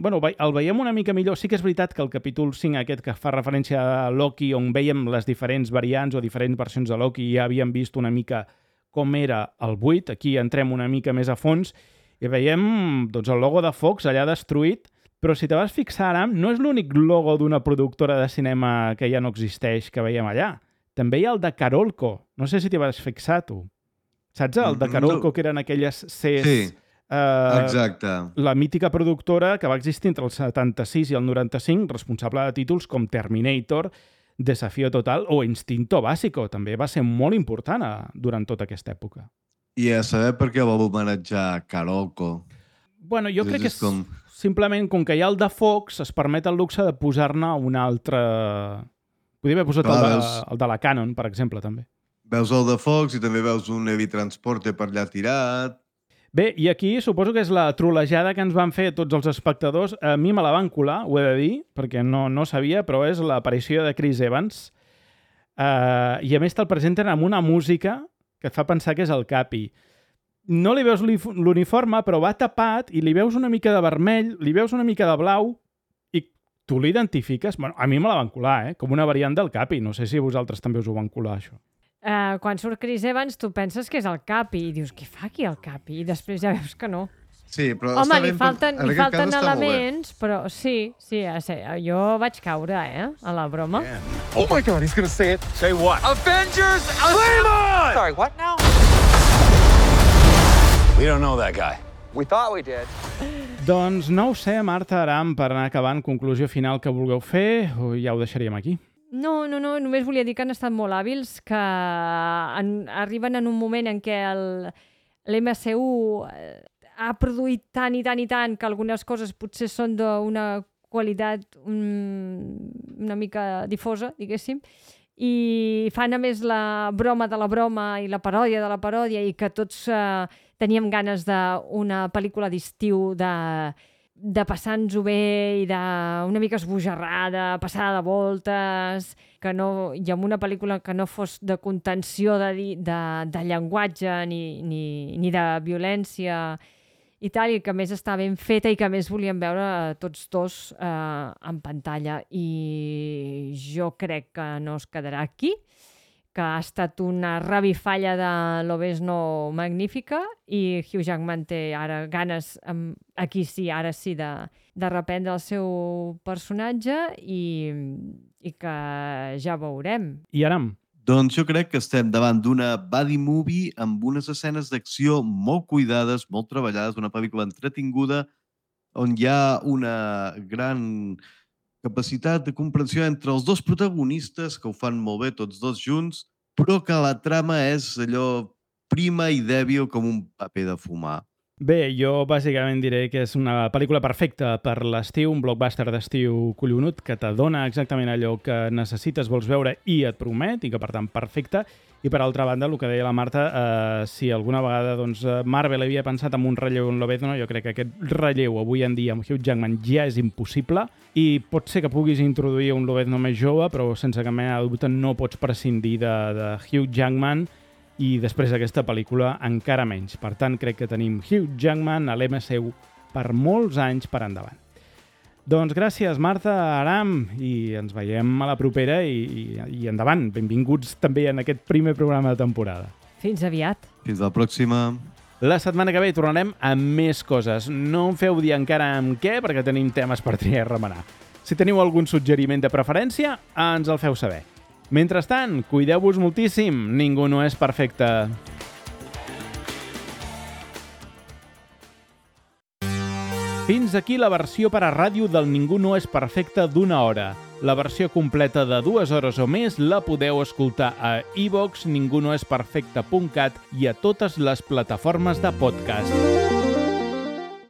Speaker 1: Bueno, el veiem una mica millor. Sí que és veritat que el capítol cinc aquest que fa referència a Loki, on veiem les diferents variants o diferents versions de Loki, ja havíem vist una mica com era el vuit, aquí entrem una mica més a fons, i veiem doncs, el logo de Fox allà destruït, però si te vas fixar ara, no és l'únic logo d'una productora de cinema que ja no existeix que veiem allà. També hi ha el de Carolco. No sé si t'hi vas fixar, tu. Saps el de Carolco, que eren aquelles Cs...
Speaker 6: Sí,
Speaker 1: eh,
Speaker 6: exacte.
Speaker 1: La mítica productora que va existir entre el setanta-sis i el noranta-cinc, responsable de títols com Terminator, Desafío Total o Instinto Básico. També va ser molt important a, durant tota aquesta època.
Speaker 6: I a saber per què va homenatjar Carolco.
Speaker 1: Bueno, jo
Speaker 6: és
Speaker 1: crec que és
Speaker 6: com...
Speaker 1: simplement com que hi ha el de Fox, es permet el luxe de posar-ne un altre... Podria haver posat Clar, el, de, veus... el de la Canon, per exemple, també.
Speaker 6: Veus el de Fox i també veus un Heavy Transporte per allà tirat.
Speaker 1: Bé, i aquí suposo que és la trolejada que ens van fer tots els espectadors. A mi me la van colar, ho he de dir, perquè no, no sabia, però és l'aparició de Chris Evans. Uh, I a més te'l presenten amb una música que et fa pensar que és el Capi. No li veus l'uniforme, però va tapat i li veus una mica de vermell, li veus una mica de blau, tu l'identifiques? Bueno, a mi me la van colar, eh? Com una variant del Capi. No sé si vosaltres també us ho van colar, això.
Speaker 5: Uh, quan surt Chris Evans, tu penses que és el Capi i dius, què fa aquí el Capi? I després ja veus que no.
Speaker 6: Sí, però
Speaker 5: Home,
Speaker 6: està
Speaker 5: li
Speaker 6: ben...
Speaker 5: falten, li falten elements, però sí, sí, jo vaig caure, eh, a la broma.
Speaker 7: Yeah. Oh my God, he's gonna say it. Say what? Avengers! Flame on!
Speaker 8: Sorry, what now?
Speaker 7: We don't know that guy.
Speaker 8: We thought we did.
Speaker 1: Doncs no ho sé, Marta Aram, per anar acabant, conclusió final que vulgueu fer, o ja ho deixaríem aquí?
Speaker 5: No, no, no, només volia dir que han estat molt hàbils, que en, arriben en un moment en què l'M C U ha produït tant i tant i tant que algunes coses potser són d'una qualitat um, una mica difosa, diguéssim, i fan a més la broma de la broma i la paròdia de la paròdia i que tots eh, teníem ganes d'una pel·lícula d'estiu de, de passar-nos-ho bé i d'una mica esbojarrada, passada de voltes, que no, i amb una pel·lícula que no fos de contenció de, de, de llenguatge ni, ni, ni de violència i tal, i que més està ben feta i que més volíem veure tots dos eh, en pantalla. I jo crec que no es quedarà aquí, que ha estat una revifalla de Lobezno magnífica i Hugh Jackman té ara ganes, aquí sí, ara sí, de, de reprendre el seu personatge i, i que ja veurem.
Speaker 1: I Aram?
Speaker 6: Doncs jo crec que estem davant d'una buddy movie amb unes escenes d'acció molt cuidades, molt treballades, una pel·lícula entretinguda, on hi ha una gran capacitat de comprensió entre els dos protagonistes, que ho fan molt bé tots dos junts, però que la trama és allò prima i dèbil com un paper de fumar.
Speaker 1: Bé, jo bàsicament diré que és una pel·lícula perfecta per l'estiu, un blockbuster d'estiu collonut que te dona exactament allò que necessites, vols veure i et promet, i que per tant perfecta. I per altra banda, el que deia la Marta, eh, si alguna vegada doncs, Marvel havia pensat en un relleu en Lobezno, jo crec que aquest relleu avui en dia amb Hugh Jackman ja és impossible i pot ser que puguis introduir un Lobezno més jove, però sense cap mena de dubte no pots prescindir de, de Hugh Jackman i després d'aquesta pel·lícula encara menys. Per tant, crec que tenim Hugh Jackman a l'M C U per molts anys per endavant. Doncs gràcies, Marta, Aram, i ens veiem a la propera i, i, i endavant. Benvinguts també en aquest primer programa de temporada.
Speaker 5: Fins aviat.
Speaker 6: Fins la pròxima.
Speaker 1: La setmana que ve tornarem amb més coses. No em feu dir encara amb què, perquè tenim temes per triar i remenar. Si teniu algun suggeriment de preferència, ens el feu saber. Mentrestant, cuideu-vos moltíssim. Ningú no és perfecte. Fins aquí la versió per a ràdio del Ningú no és perfecte d'una hora. La versió completa de dues hores o més la podeu escoltar a iVox, ningunoesperfecte punt cat i a totes les plataformes de podcast.